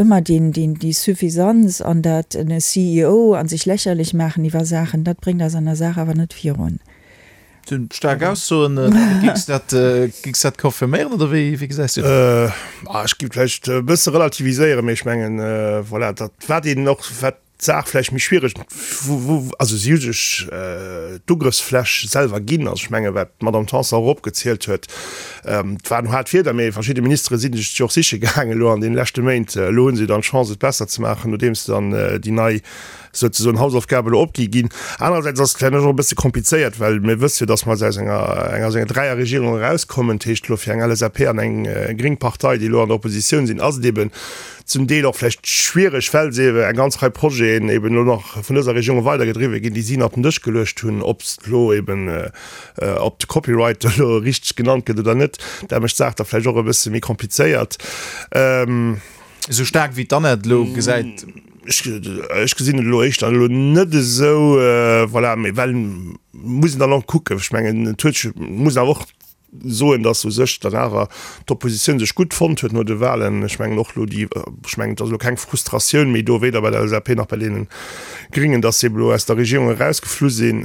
ëmmer deen, deen, déi Suffisanz an dat en CEO a sech lächerlech maachen iwwer Saachen, dat bréngt eis an der Saach awer net virun. Sinn staark Aussoen. Géings dat, géings dat confirméieren oder wéi, wéi gesäis du dat? Ech géif vläicht e bësse relativiséieren, mee ech mengen, voilà, dat wat een och, wat d'Saach vläicht méi schwiereg, wou, wou, also si hu sech d'Ugrëffsfläch selwer ginn. Also ech menge wat d'Madame Tanson och opgezielt huet, et waren haart Wierder, mee verschidde Ministere si sech jo och siche gaangen elo an deene leschte Méint. Elo hu se dann d'Chance et besser ze maachen, nodeems dann déi nei souzesoen Hausaufgabe elo opgi ginn. Anerersäits ass et vläicht och e bësse komplizéiert, well mir wësse jo, datt mer aus enger eng aus enger Dräierregierung erauskommen. Dat heescht elo fir eng LSAP an eng gréng Partei, déi elo an der Oppositioun sinn, ass et eben zum Deel och vläicht schwiereg, well se eben eng ganz Rei Projeten eben elo nach vun dëser Regierung weidergedriwwe ginn, déi si nach op den Dësch geluecht hunn, ob se elo eben ob de Copyright elo richteg genannt gëtt oder net, dat mécht d'Saach da vläicht och e bësse méi komplizéiert. Esou staark wéi d'Annette elo gesäit. Ech gesinn et elo éischter elo net esou, voilà, mee well muss een dann och kucken. Ech mengen, et huet sech, muss een awer och soen, datt u sech dann awer d'Oppositioun sech gutt fonnt huet no de Wahlen. Ech mengen och elo déi, ech mengen, et ass elo keng Frustratioun méi do, weder bei der LSAP nach bei deene Gringen, datt se ebe elo aus der Regierung erausgeflu sinn.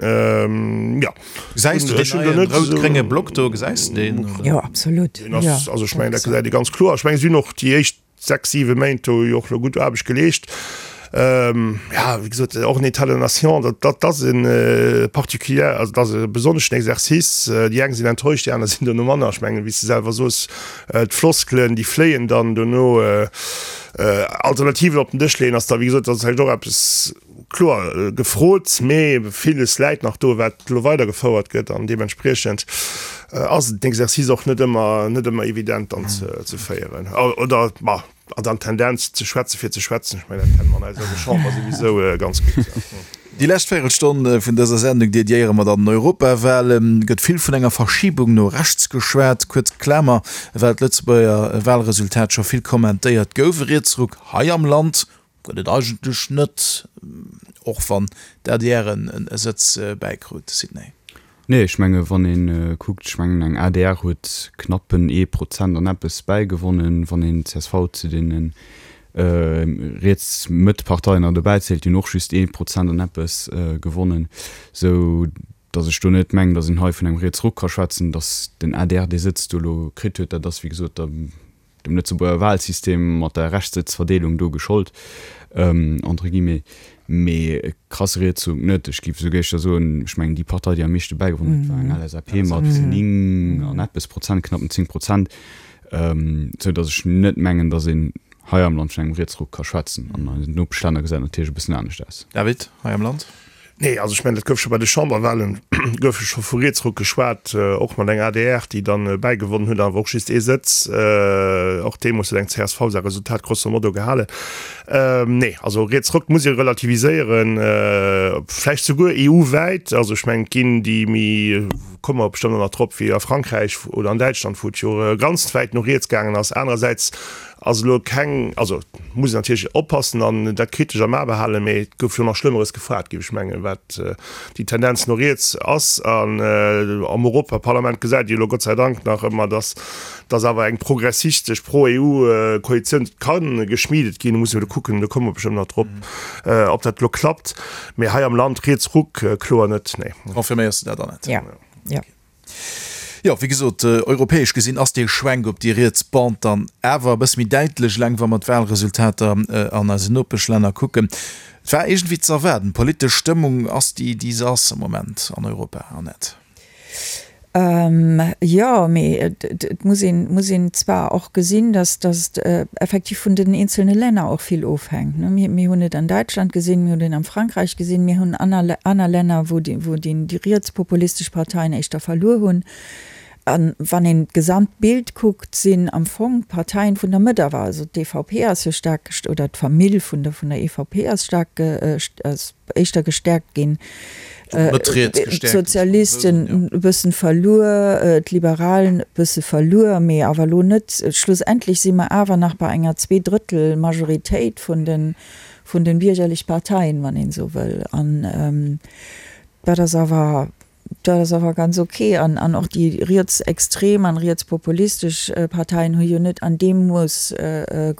Jo. Gesäis du deen neien rout-grénge Block do? Gesäis de deen? Jo, absolut. Deen ass, also ech mengen, dat gesäit ee ganz kloer. Ech mengen, si hunn och déi éischt 6, 7 Méint do jo och elo gutt Aarbecht geleescht. Ja, wéi gesot, och en État de la nation, dat, dat ass e particulier, also dat ass e besonneschen Exercice. Déi eng sinn enttäuscht, déi aner sinn dono manner. Ech mengen, wéi s de selwer soos, d'Floskelen, déi fléien dann dono. Alternativen op den Dësch leeën ass da, wéi gesot, dat ass vläicht och eppes, Kloer gefrot, mee villes läit nach do, wat elo weidergefouert gëtt an deementspriechend ass den Exercice och net ëmmer, net ëmmer evident dann ze féieren oder, ma an dann d'Tendenz ze schwätze fir ze schwätzen. Ech mengen, dat kenne mer an eiser Chamber souwisou ganz gutt. Déi lescht Véirelstonn vun dëser Sendung dediéiere mer dann den Europawahlen. Gëtt vill vun enger Verschibung no rechts geschwat, kuerz Klamer, well d'Lëtzebuerger Wahlresultat scho vill kommentéiert gouf. E Rietsruck hei am Land Gëtt et eigentlech net, och wann d'ADR e Sëtz bäikrut. Sidney. Nee, ech menge wann ee kuckt, ech mengen eng adr huet knappen ee Prozent an eppes bäigewonnen, wann een csv zu deene Riets-Mëtt-Parteien nach dobäi zielt, déi hunn och just ee Prozent an eppes gewonnen, sou datt ech do net mengen, datt een hei vun engem Rietsruck ka schwätzen. Datt den adr dee Sëtz do elo kritt huet, dat ass wéi gesot der dem Lëtzebuerger Wahlsystem mat der Rechtssëtzverdeelung do geschollt, entre guillemets, mee e krasse Rietsruck net. Ech géif esouguer éischter soen, ech mengen déi Partei, déi am meeschte bäigewonnen huet, war eng LSAP mat 9 an eppes Prozent, knappen 10 Prozent, esou datt ech net mengen, datt een hei am Land vun engem Rietsruck ka schwätzen. An eisen Nopeschlänner gesäit et natierlech e bëssen anescht aus. David, hei am Land? Nee, also ech mengen, dat gouf scho bei de Chamberwahlen, gouf jo scho vu Rietsruck geschwat, och mat enger adr, déi dann bäigewonnen huet, awer och just ee Sëtz. Och deemools huet eng csv säi Resultat grosso modo gehalen. Nee, also Rietsruck muss ee relativiséieren, vläicht souguer EU-wäit. Also ech mengen, et ginn déi méi, komme mer bestëmmt och nach drop, wéi a Frankräich oder an Däitschland, wou et jo ganz wäit no riets gaangen ass. Anerersäits Ass elo keng, also muss een natierlech oppassen an dat kritesch am A behalen, mee et gouf jo nach Schlëmmeres gefragt, géif ech mengen, wat déi Tendenz no riets ass. An am Europaparlament gesäit ee jo elo Gott sei Dank nach ëmmer, dass dass awer eng progressistesch Pro-EU-Koalitioun ka geschmiedet ginn. Do muss een elo kucken, do komme mer bestëmmt nach drop, ob dat elo klappt. Mee hei am Land Rietsruck, kloer net, nee. Confirméiers de dat, Annette? Jo, jo. Jo, wéi gesot, europäesch gesinn ass dee Schwenk op déi riets Bande dann awer e bësse méi däitlech, eleng wa mer d'Wahlresultater an eisen Nopeschlänner kucken. Et war iergendwéi ze erwaarden. D'politesch Stëmmung ass déi, déi se ass am Moment an Europa, Annette. Jo, mee et muss een, muss een zwar och gesinn, datt datt effektiv vun den eenzelne Länner och vill ofhänkt. Mir, mir hunn et an Däitschland gesinn, mir hunn et am Frankräich gesinn, mir hunn aner, aner Länner, wou déi, wou déi, déi rietspopulistesch Parteien éischter verluer hunn. A wann een d'Gesamtbild kuckt, sinn am Fong d'Parteien vun der Mëtt awer, also d'EVP ass jo staark, oder d'Famill vun der, vun der EVP ass staark, ass éischter gestäerkt ginn, d'Sozialisten e bëssen verluer, d'Liberalen e bësse verluer, mee awer elo net. Schlussendlech si mer awer nach bei enger Zweedrëttel-Majoritéit vun de, vun de biergerlech Parteien, wann een esou wëll. An dat ass awer, dat ass awer ganz ok. An, an och déi rietsextrem an rietspopulistesch Parteien hu jo net an deem Mooss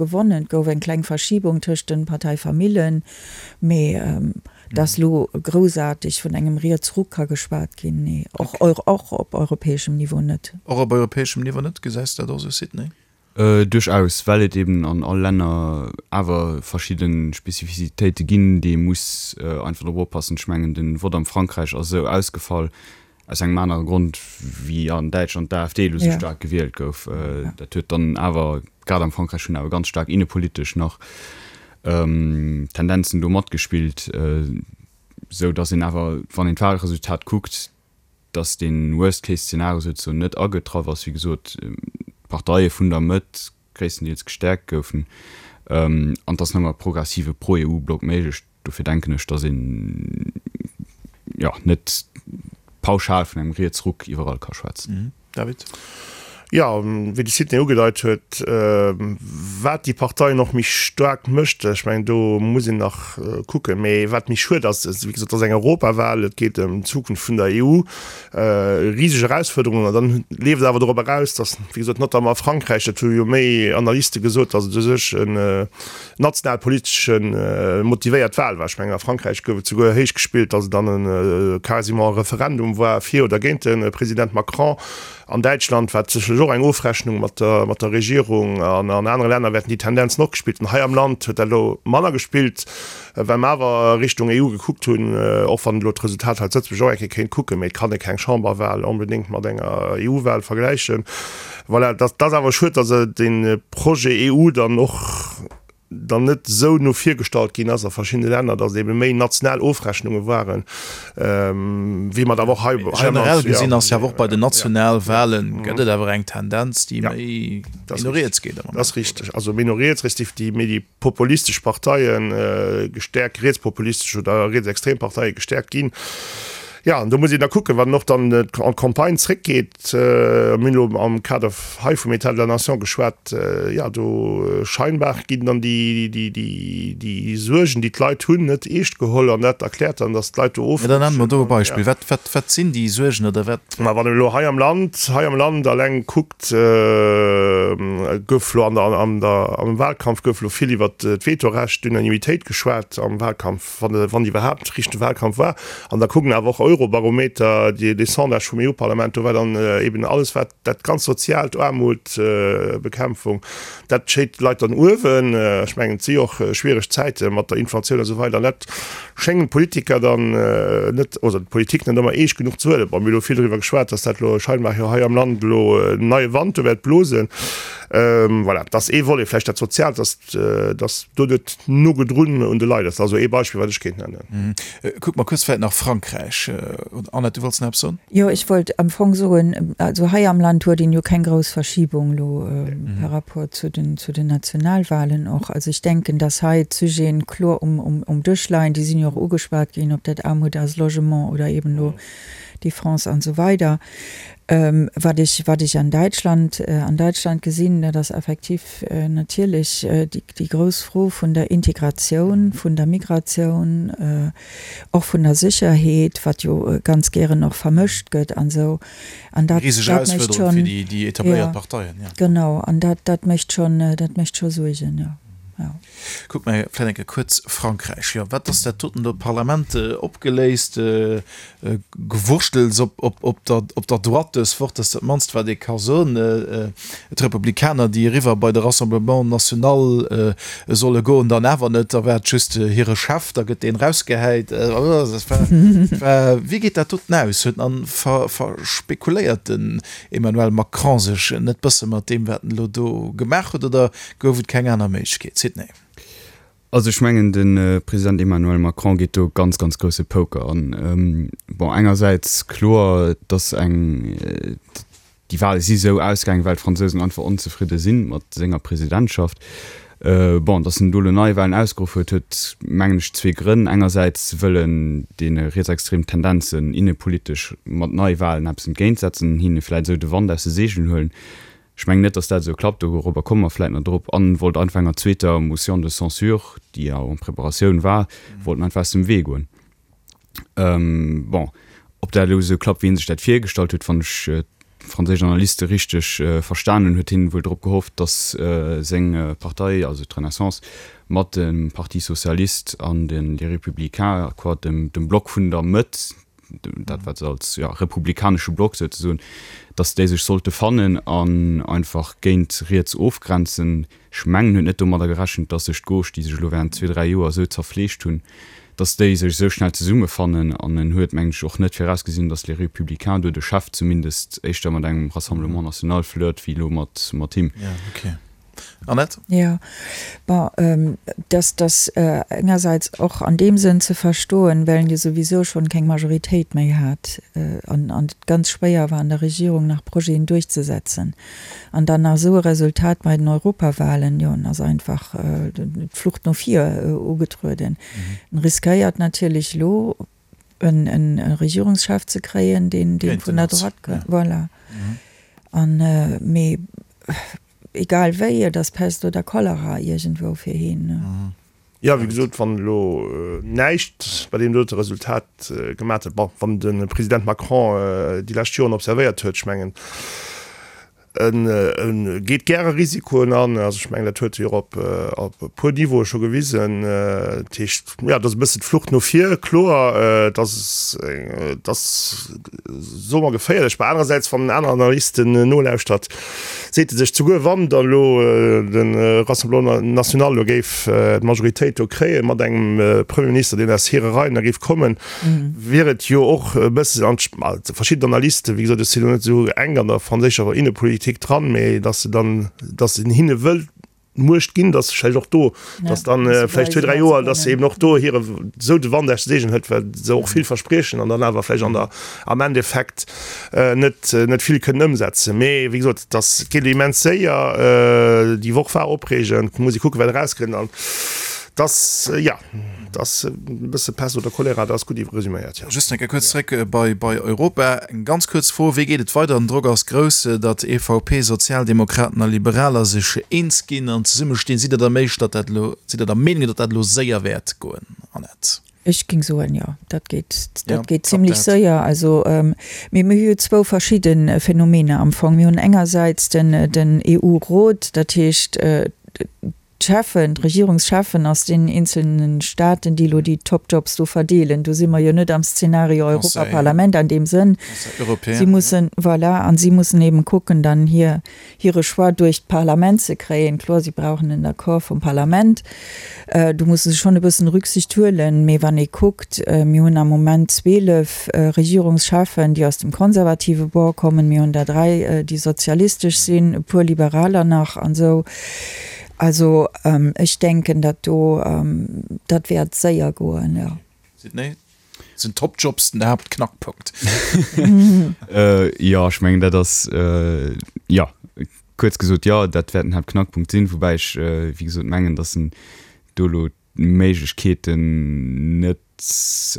gewonnen. Et gouf eng kleng Verschibung tëscht de Parteifamillen, mee dass elo groussaarteg vun engem Rietsruck ka geschwat ginn, nee, och, och op europäeschem Niveau net. Och op europäeschem Niveau net? Gesäis de dat och esou, Sidney? Duerchaus, well et eben an all Länner awer verschidde Spezifizitéite ginn, déi ee muss einfach drop oppassen. Ech mengen, de Vott am Frankräich ass esou ausgefall aus engem anere Grond, wéi an Däitschland d'AfD elo esou staark gewielt gouf. Dat huet dann awer, grad am Frankräich hunn awer ganz staark innepolitesch nach Tendenzen do matgespillt, esou datt een awer, wann een d'Wahlresultat kuckt, dass dee Worst-Case-Zeenario souzesoen net agetraff ass, wéi gesot, d'Parteie vun der Mëtt gréisstendeels gestäerkt goufen an et ass nëmme e progressive Pro-EU-Block méiglech. Dofir denken ech, dass een, jo, net pauschal vun engem Rietsruck iwwerall ka schwätzen. David. Jo, wéi de Sidney ugedeit huet, wat déi Parteien och méi staark mécht, ech mengen, do muss een nach kucken. Mee wat méi schued ass, wéi gesot, et ass eng Europawal, et geet ëm d'Zukunft vun der EU, riseg Erausfuerderungen. An dann leeft et awer dorop eraus, datt, wéi gesot, notamment a Frankräich, dat hu jo méi Analyste gesot, datt et u sech en nationalpolitesche motivéiert Wal war. Ech mengen, a Frankräich gouf et souguer héich gespillt, datt et dann e quasiment e Referendum war fir oder géint de President Macron. An Däitschland war et sécherlech och eng Ofrechnung mat der, mat der Regierung. An an anere Länner wäerten déi Tendenzen och gespillt hunn. Hei am Land huet dat elo manner gespillt, well mer awer Richtung EU gekuckt hunn, och wann elo d'Resultat hei zu Lëtzebuerg och eng Kéier kéint kucken, mee et kann ee keng Chamberwal onbedéngt mat enger EU-Wal vergläichen. Voilà, dat ass awer schued, datt dee Projet EU dann och, dann net esou no vir gestallt ginn ass a verschiddene Länner, datt et ebe méi national Ofrechnunge waren, wéi mer et awer och hei am Land. Generell gesinn ass jo awer och bei den Nationalwahlen, gëtt et awer eng Tendenz, déi méi no riets geet am Moment. Dat ass richteg. Also méi no riets, respektiv déi méi déi populistesch Parteie gestäerkt, rietspopulistesch oder rietsextrem Parteie gestäerkt ginn. Jo, an do muss een da kucken, wann och dann an d'Campagne zréckgeet, mir hunn elo am Kader hei vum État de la Nation geschwat, jo, do scheinbar ginn dann déi Suergen, déi d'Leit hunn, net eescht geholl an dat erkläert dann, datt d'Leit do ofrutschen. Jo, dann nenne mer do e Beispill. Wat, wat, wat sinn déi Suergen oder wat? Ma wann een elo hei am Land, hei am Land alleng kuckt, gouf elo an der, an der, am Wahlkampf gouf elo vill iwwert d'Vetorecht, d'Unanimitéit geschwat am Wahlkampf. wann wann iwwerhaapt richtege Wahlkampf war. An da kucken awer och Eurobarometer, déi dee Sondage vum EU-Parlament, do war dann eben alles wat dat ganz Soziaalt, Aarmut, Bekämpfung, dat schéit d'Leit dann uewen. Ech mengen, et si jo och schwiereg Zäite mat der Inflatioun a sou weider an dat schéngen d'Politiker dann net, oder d'Politik net ëmmer eescht genuch ze huelen. Bon, mir hu lo vill driwwer geschwat, datt dat elo scheinbar jo hei am Land elo en neie Wand do wäert blosen. Voilà, dat ass ee Volet, vläicht dat Soziaalt, datt datt do net no gedrun un de Leit ass. Dat ass esou ee Beispill, wat ech kéint nennen. Kucke mer kuerz vläicht nach Frankräich. Annette, du wollts nach eppes soen? Jo, ech wollt am Fong soen, also hei am Land huet een jo keng grouss Verschibung elo par rapport zu den, zu den Nationalwahlen och. Also ech denken, datt hei d'Sujeten kloer um, um, um Dësch leien. Déi sinn jo och ugeschwat ginn, ob dat Aarmut ass, Logement oder eben elo Defense an esou weider. Wat ech, wat ech an Däitschland, an Däitschland gesinn, dat ass effektiv natierlech déi, déi grouss Fro vun der Integratioun, vun der Migratioun, och vun der Sécherheet, wat jo ganz gären och vermëscht gëtt an esou. An dat, Riseg dat mécht Erausfuerderung fir schonn, déi, déi etabléiert jo, Parteien, jo. Genau, an dat, dat mécht schonn, dat mécht scho Suergen, jo, jo. Kucke mer vläicht eng Kéier kuerz Frankräich. Jo, wat ass dat doten do? D'Parlament opgeléist, Gewurschtels op der Droite dës Woch, dat ass dat mannst wat ee ka soen. D'Republikaner, déi eriwwer bei de Rassemblement National solle goen, dann awer net, da war et just hire Chef, da gëtt deen erausgehäit. Wéi geet dat doten aus? Huet an verspekuléiert den Emmanuel Macron sech net bësse mat deem wat en elo do gemaach huet, oder gouf et keng aner Méiglechkeet? Sidney. Also ech mengen, de President Emmanuel Macron geet do ganz, ganz grousse Poker an. Bon, engersäits kloer, datt eng, déi Wahle si sou ausgaangen, well d'Fransousen einfach onzefridde si mat senger Presidentschaft. Bon, datt en do elo Neiwahlen ausgeruff huet, huet mengen ech zwee Grënn. Engersäits wëll en deene rietsextremen Tendenzen innepolitesch mat Neiwahlen eppes entgéintsetzen, hinne vläit esou de Wand aus de Seegelen huelen. Ech mengen net, datt dat esou klappt, dorobber komme mer vläit nach drop. An wollt einfach enger zweeter Motion de censure, déi jo en Preparatioun war, wollt en einfach aus dem Wee goen. Bon, ob dat elo esou klappt, wéi hie sech dat virgestallt huet, wann ech d'franséisch Analyste richteg verstan hunn, huet hien wuel drop gehofft, datt seng Partei, also d'Renaissance, mat dem Parti socialiste an de Les Républicains, quoi, dem Block vun der Mëtt, dat wat se als ja, republikanesche Block souzesoen, datt déi sech sollte fannen an einfach géint riets ofgrenzen. Ech mengen, huet net domadder gerechent, datt sech d'Gauche, déi sech elo während zwee, dräi Joer esou zerfleegt hunn, datt déi sech esou schnell zesummefannen. An en huet, mengen ech, och net virausgesinn, datt Les Républicains do de Chef zumindest éischter mat engem Rassemblement national flirt wéi elo mat mat him. Ja, okay. Annette? Jo, bon, dass dass engersäits och an deem Sënn ze verstoen, well en jo souwisou schonn keng Majoritéit méi hat an an et ganz schwéier war an der Regierung nach Projeten duerchzesetzen an dann nach esou e Resultat bei den Europawahlen, jo, en ass einfach d'Flucht no vir ugetrueden. En riskéiert natierlech elo en Regierungschef ze kréien, deen deen vun der Droite kënnt, voilà. An mee Egal wéi, et ass Pest oder Cholera iergendwou fir heen. Jo, wéi gesot, wann elo näischt bei deem dote Resultat gemat huet, bon, wann de President Macron déi lescht Joren observéiert huet, ech mengen, e geet gäre Risikoen an, also ech mengen, dat huet e jo och op e puer Niveaue scho gewisen. Dat heescht, jo, et ass e bëssen d'Flucht no vir, kloer, et ass, et ass, soe mer, geféierlech. Mä anerersäits, wann en aner Analysten nolauschtert, Seet e sech zuguer, wann da elo de Rassemblement National elo géif d'Majoritéit do kréien, mat engem Premier Minister, deen aus hire Reien da géif kommen, wier et jo och e bëssen an verschidden Analysten, wéi gesot, ech sinn elo net esou enk an der franséischer Innepolitik dran, mä datt se dann, datt een hinne wëllt Muecht ginn, dass vläicht och do, dass dann vläicht zwee, dräi Joer, dass eben och do hire sou de Wand aus de Seegen hëlt, well se och vill verspriechen an dann awer vläicht an der am Endeffekt net net vill kënnen ëmsetzen. Mee wéi gesot, dass et geet immens séier, déi Woch war opreegend, muss ee kucken, wat erauskënnt an. Dass, jo, dass e bësse Pest oder Cholera, dat ass gutt resüméiert, jo. Just eng Kéier kuerz zréck bei bei Europa. Eng ganz kuerz Fro, Wéi geet et weider? Den Drock ass grouss, datt EVP, Sozialdemokraten a Liberaler sech eens ginn an zesummestinn. Sidd Der der Méisch, datt dat elo, sidd Der der Meenung, datt dat elo séier wäert goen, Annette? Ech géing soen, jo, dat geet, dat geet zimlech séier. Also, mee mir hu jo zwou verschidde Phänomener am Fong. Mir hunn engersäits den, den EU-Rot, dat heescht, d'Cheffen, d'Regierungscheffen aus deenen eenzelne Staaten, déi elo déi Top-Jobs do verdeelen. Do si mer jo net am Szenario Europaparlament an deem Sënn. Si mussen, voilà, an si mussen eben kucken, dann hir, hire Choix duerch d'Parlament ze kréien. Kloer, si brauchen en Accord vum Parlament. Do musse se schonn e bëssen Rücksicht huelen. Mee wann ee kuckt, mir hunn am Moment 12 Regierungscheffen, déi aus dem konservative Bord kommen, mir hunn der dräi, déi sozialistesch sinn, e puer Liberaler nach an esou. Also ech denken, dat do, dat wäert séier goen, jo. Sidney, Sinn Top-Jobs den Haaptknackpunkt? Jo, ech mengen, dat ass, jo, kuerz gesot, jo, dat wäert den Haaptknackpunkt sinn. Woubäi ech, wéi gesot, mengen, datt en do elo d'Méiglechkeeten net,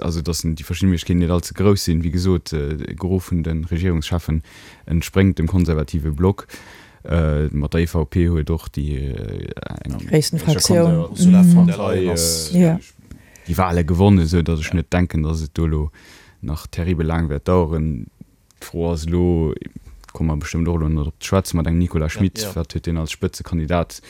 also datt déi verschidde Méiglechkeeten net allze grouss sinn. Wéi gesot, e Gros vun de Regierungscheffen entspréngt dem konservative Block. Mat der EVP huet och déi eng gréissten Fraktioun déi Wahle gewonnen, esou datt ech net denken, datt et do elo nach terribel laang wäert daueren. D'Fro ass elo, komme mer bestëmmt och elo nach drop ze schwätzen, mat engem Nicolas Schmit, wat huet deen als Spëtzekandidat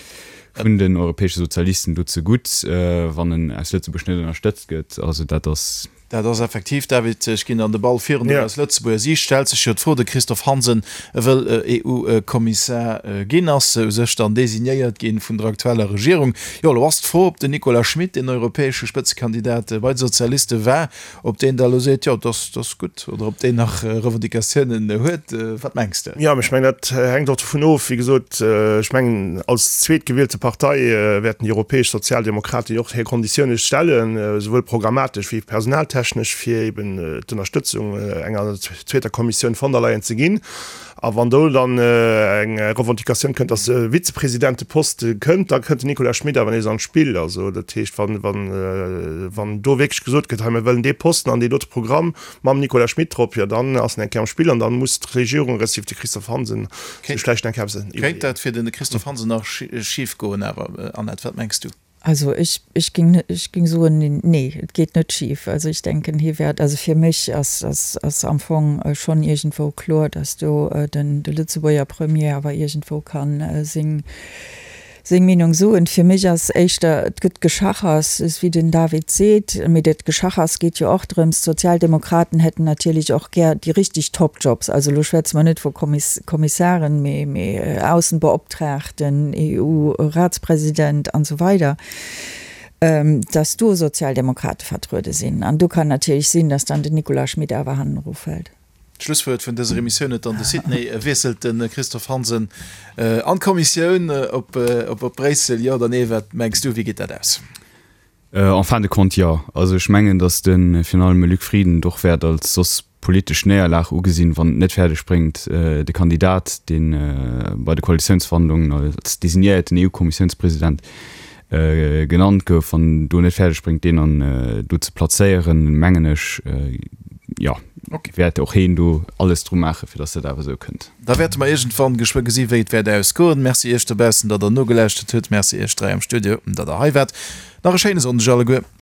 vun den europäesche Sozialisten do zegutt, wann en aus Lëtzebuerg net ënnerstëtzt gëtt? Also dat ass. Dat ass effektiv, David, ech ginn dann de Ball virun un aus Lëtzebuerger Siicht stellt sech jo d'Fro, de Christophe Hansen wëll EU-Kommissar ginn, ass u sech dann designéiert gi vun der aktueller Regierung. Jo, elo ass d'Fro, ob den Nicolas Schmit, deen europäesche Spëtzekandidat bei de Sozialiste war, Ob deen da elo seet, jo, dat ass gutt, oder ob deen nach Revendicatiounen huet, wat mengs de? Jo, ech mengen, dat hänkt och dovun of. Wéi gesot, ech mengen, als zweetgewielte Partei wäerten déi europäesch Sozialdemokraten jo och hir Konditioune stellen, esouwuel programmatesch wéi personaltechnesch, fir eben d'Ënnerstëtzung enger zweeter Kommissioun von der Leyen ze ginn. A wann do dann eng Revendicatioun kënnt, dass e Vizepresidenteposte kënnt, da kënnt den Nicolas Schmit awer nees an d'Spill. Also dat heescht, wann, wann, wann do wierklech gesot gëtt, hei mir wëllen dee Posten an deen dote Programm mam Nicolas Schmit drop, jo dann ass en eng Kéier am Spill an dann muss d'Regierung respektiv de Christophe Hansen sech vläicht eng Kéier eppes iwwerleeën. Kéint dat fir de Christophe Hansen nach schif goen awer, Annette, wat mengs du? Also ech, ech ging, ech ging soen, nee, et geet net schif. Also ech denken, hie wäert, also fir mech ass, ass, ass am Fong schonn iergendwou kloer, datt do den, de Lëtzebuerger Premier awer iergendwou kann seng, seng Meenung soen. Fir mech ass éischter, et gëtt Geschachers, esou wéi den David seet, mee dat Geschachers geet jo och drëms, d'Sozialdemokraten hätten natierlech och gär déi richtig Topjobs, also elo schwätze mer net vu Kommiss, Kommissaren, mee, mee Aussenbeoptraagten, den EU-Ratspresident an esou weider, dass do Sozialdemokrate vertruede sinn. An do kann natierlech sinn, dass dann den Nicolas Schmit awer hannendru fält. D'Schlusswuert vun dëser Emissioun huet dann de Sidney. Wiesselt de Christophe Hansen an d'Kommissioun op Bréissel, jo oder nee? Wat mengs du, wéi geet dat aus? En fin de compte jo. Also ech mengen, datt de virun allem Luc Frieden et och wäert als soss politesch Néierlag ugesinn, wann et net fäerdeg bréngt, de Kandidat, dee bei de Koalitiounsverhandlungen als designéierten EU-Kommissiounspresident genannt gouf, wann en do net fäerdeg bréngt, deen an do ze plazéieren, mengen ech, jo, wäert och heen do alles dru maachen, fir datt dat awer esou kënnt. Da wäerte mer iergendwann geschwë gesi wéi et wäert ausgoen. Merci Iech dobaussen, datt der nogelauschtert hutt. Merci Iech 3 am Studio, datt der hei waart. Nach e schéine Sonndeg alleguer.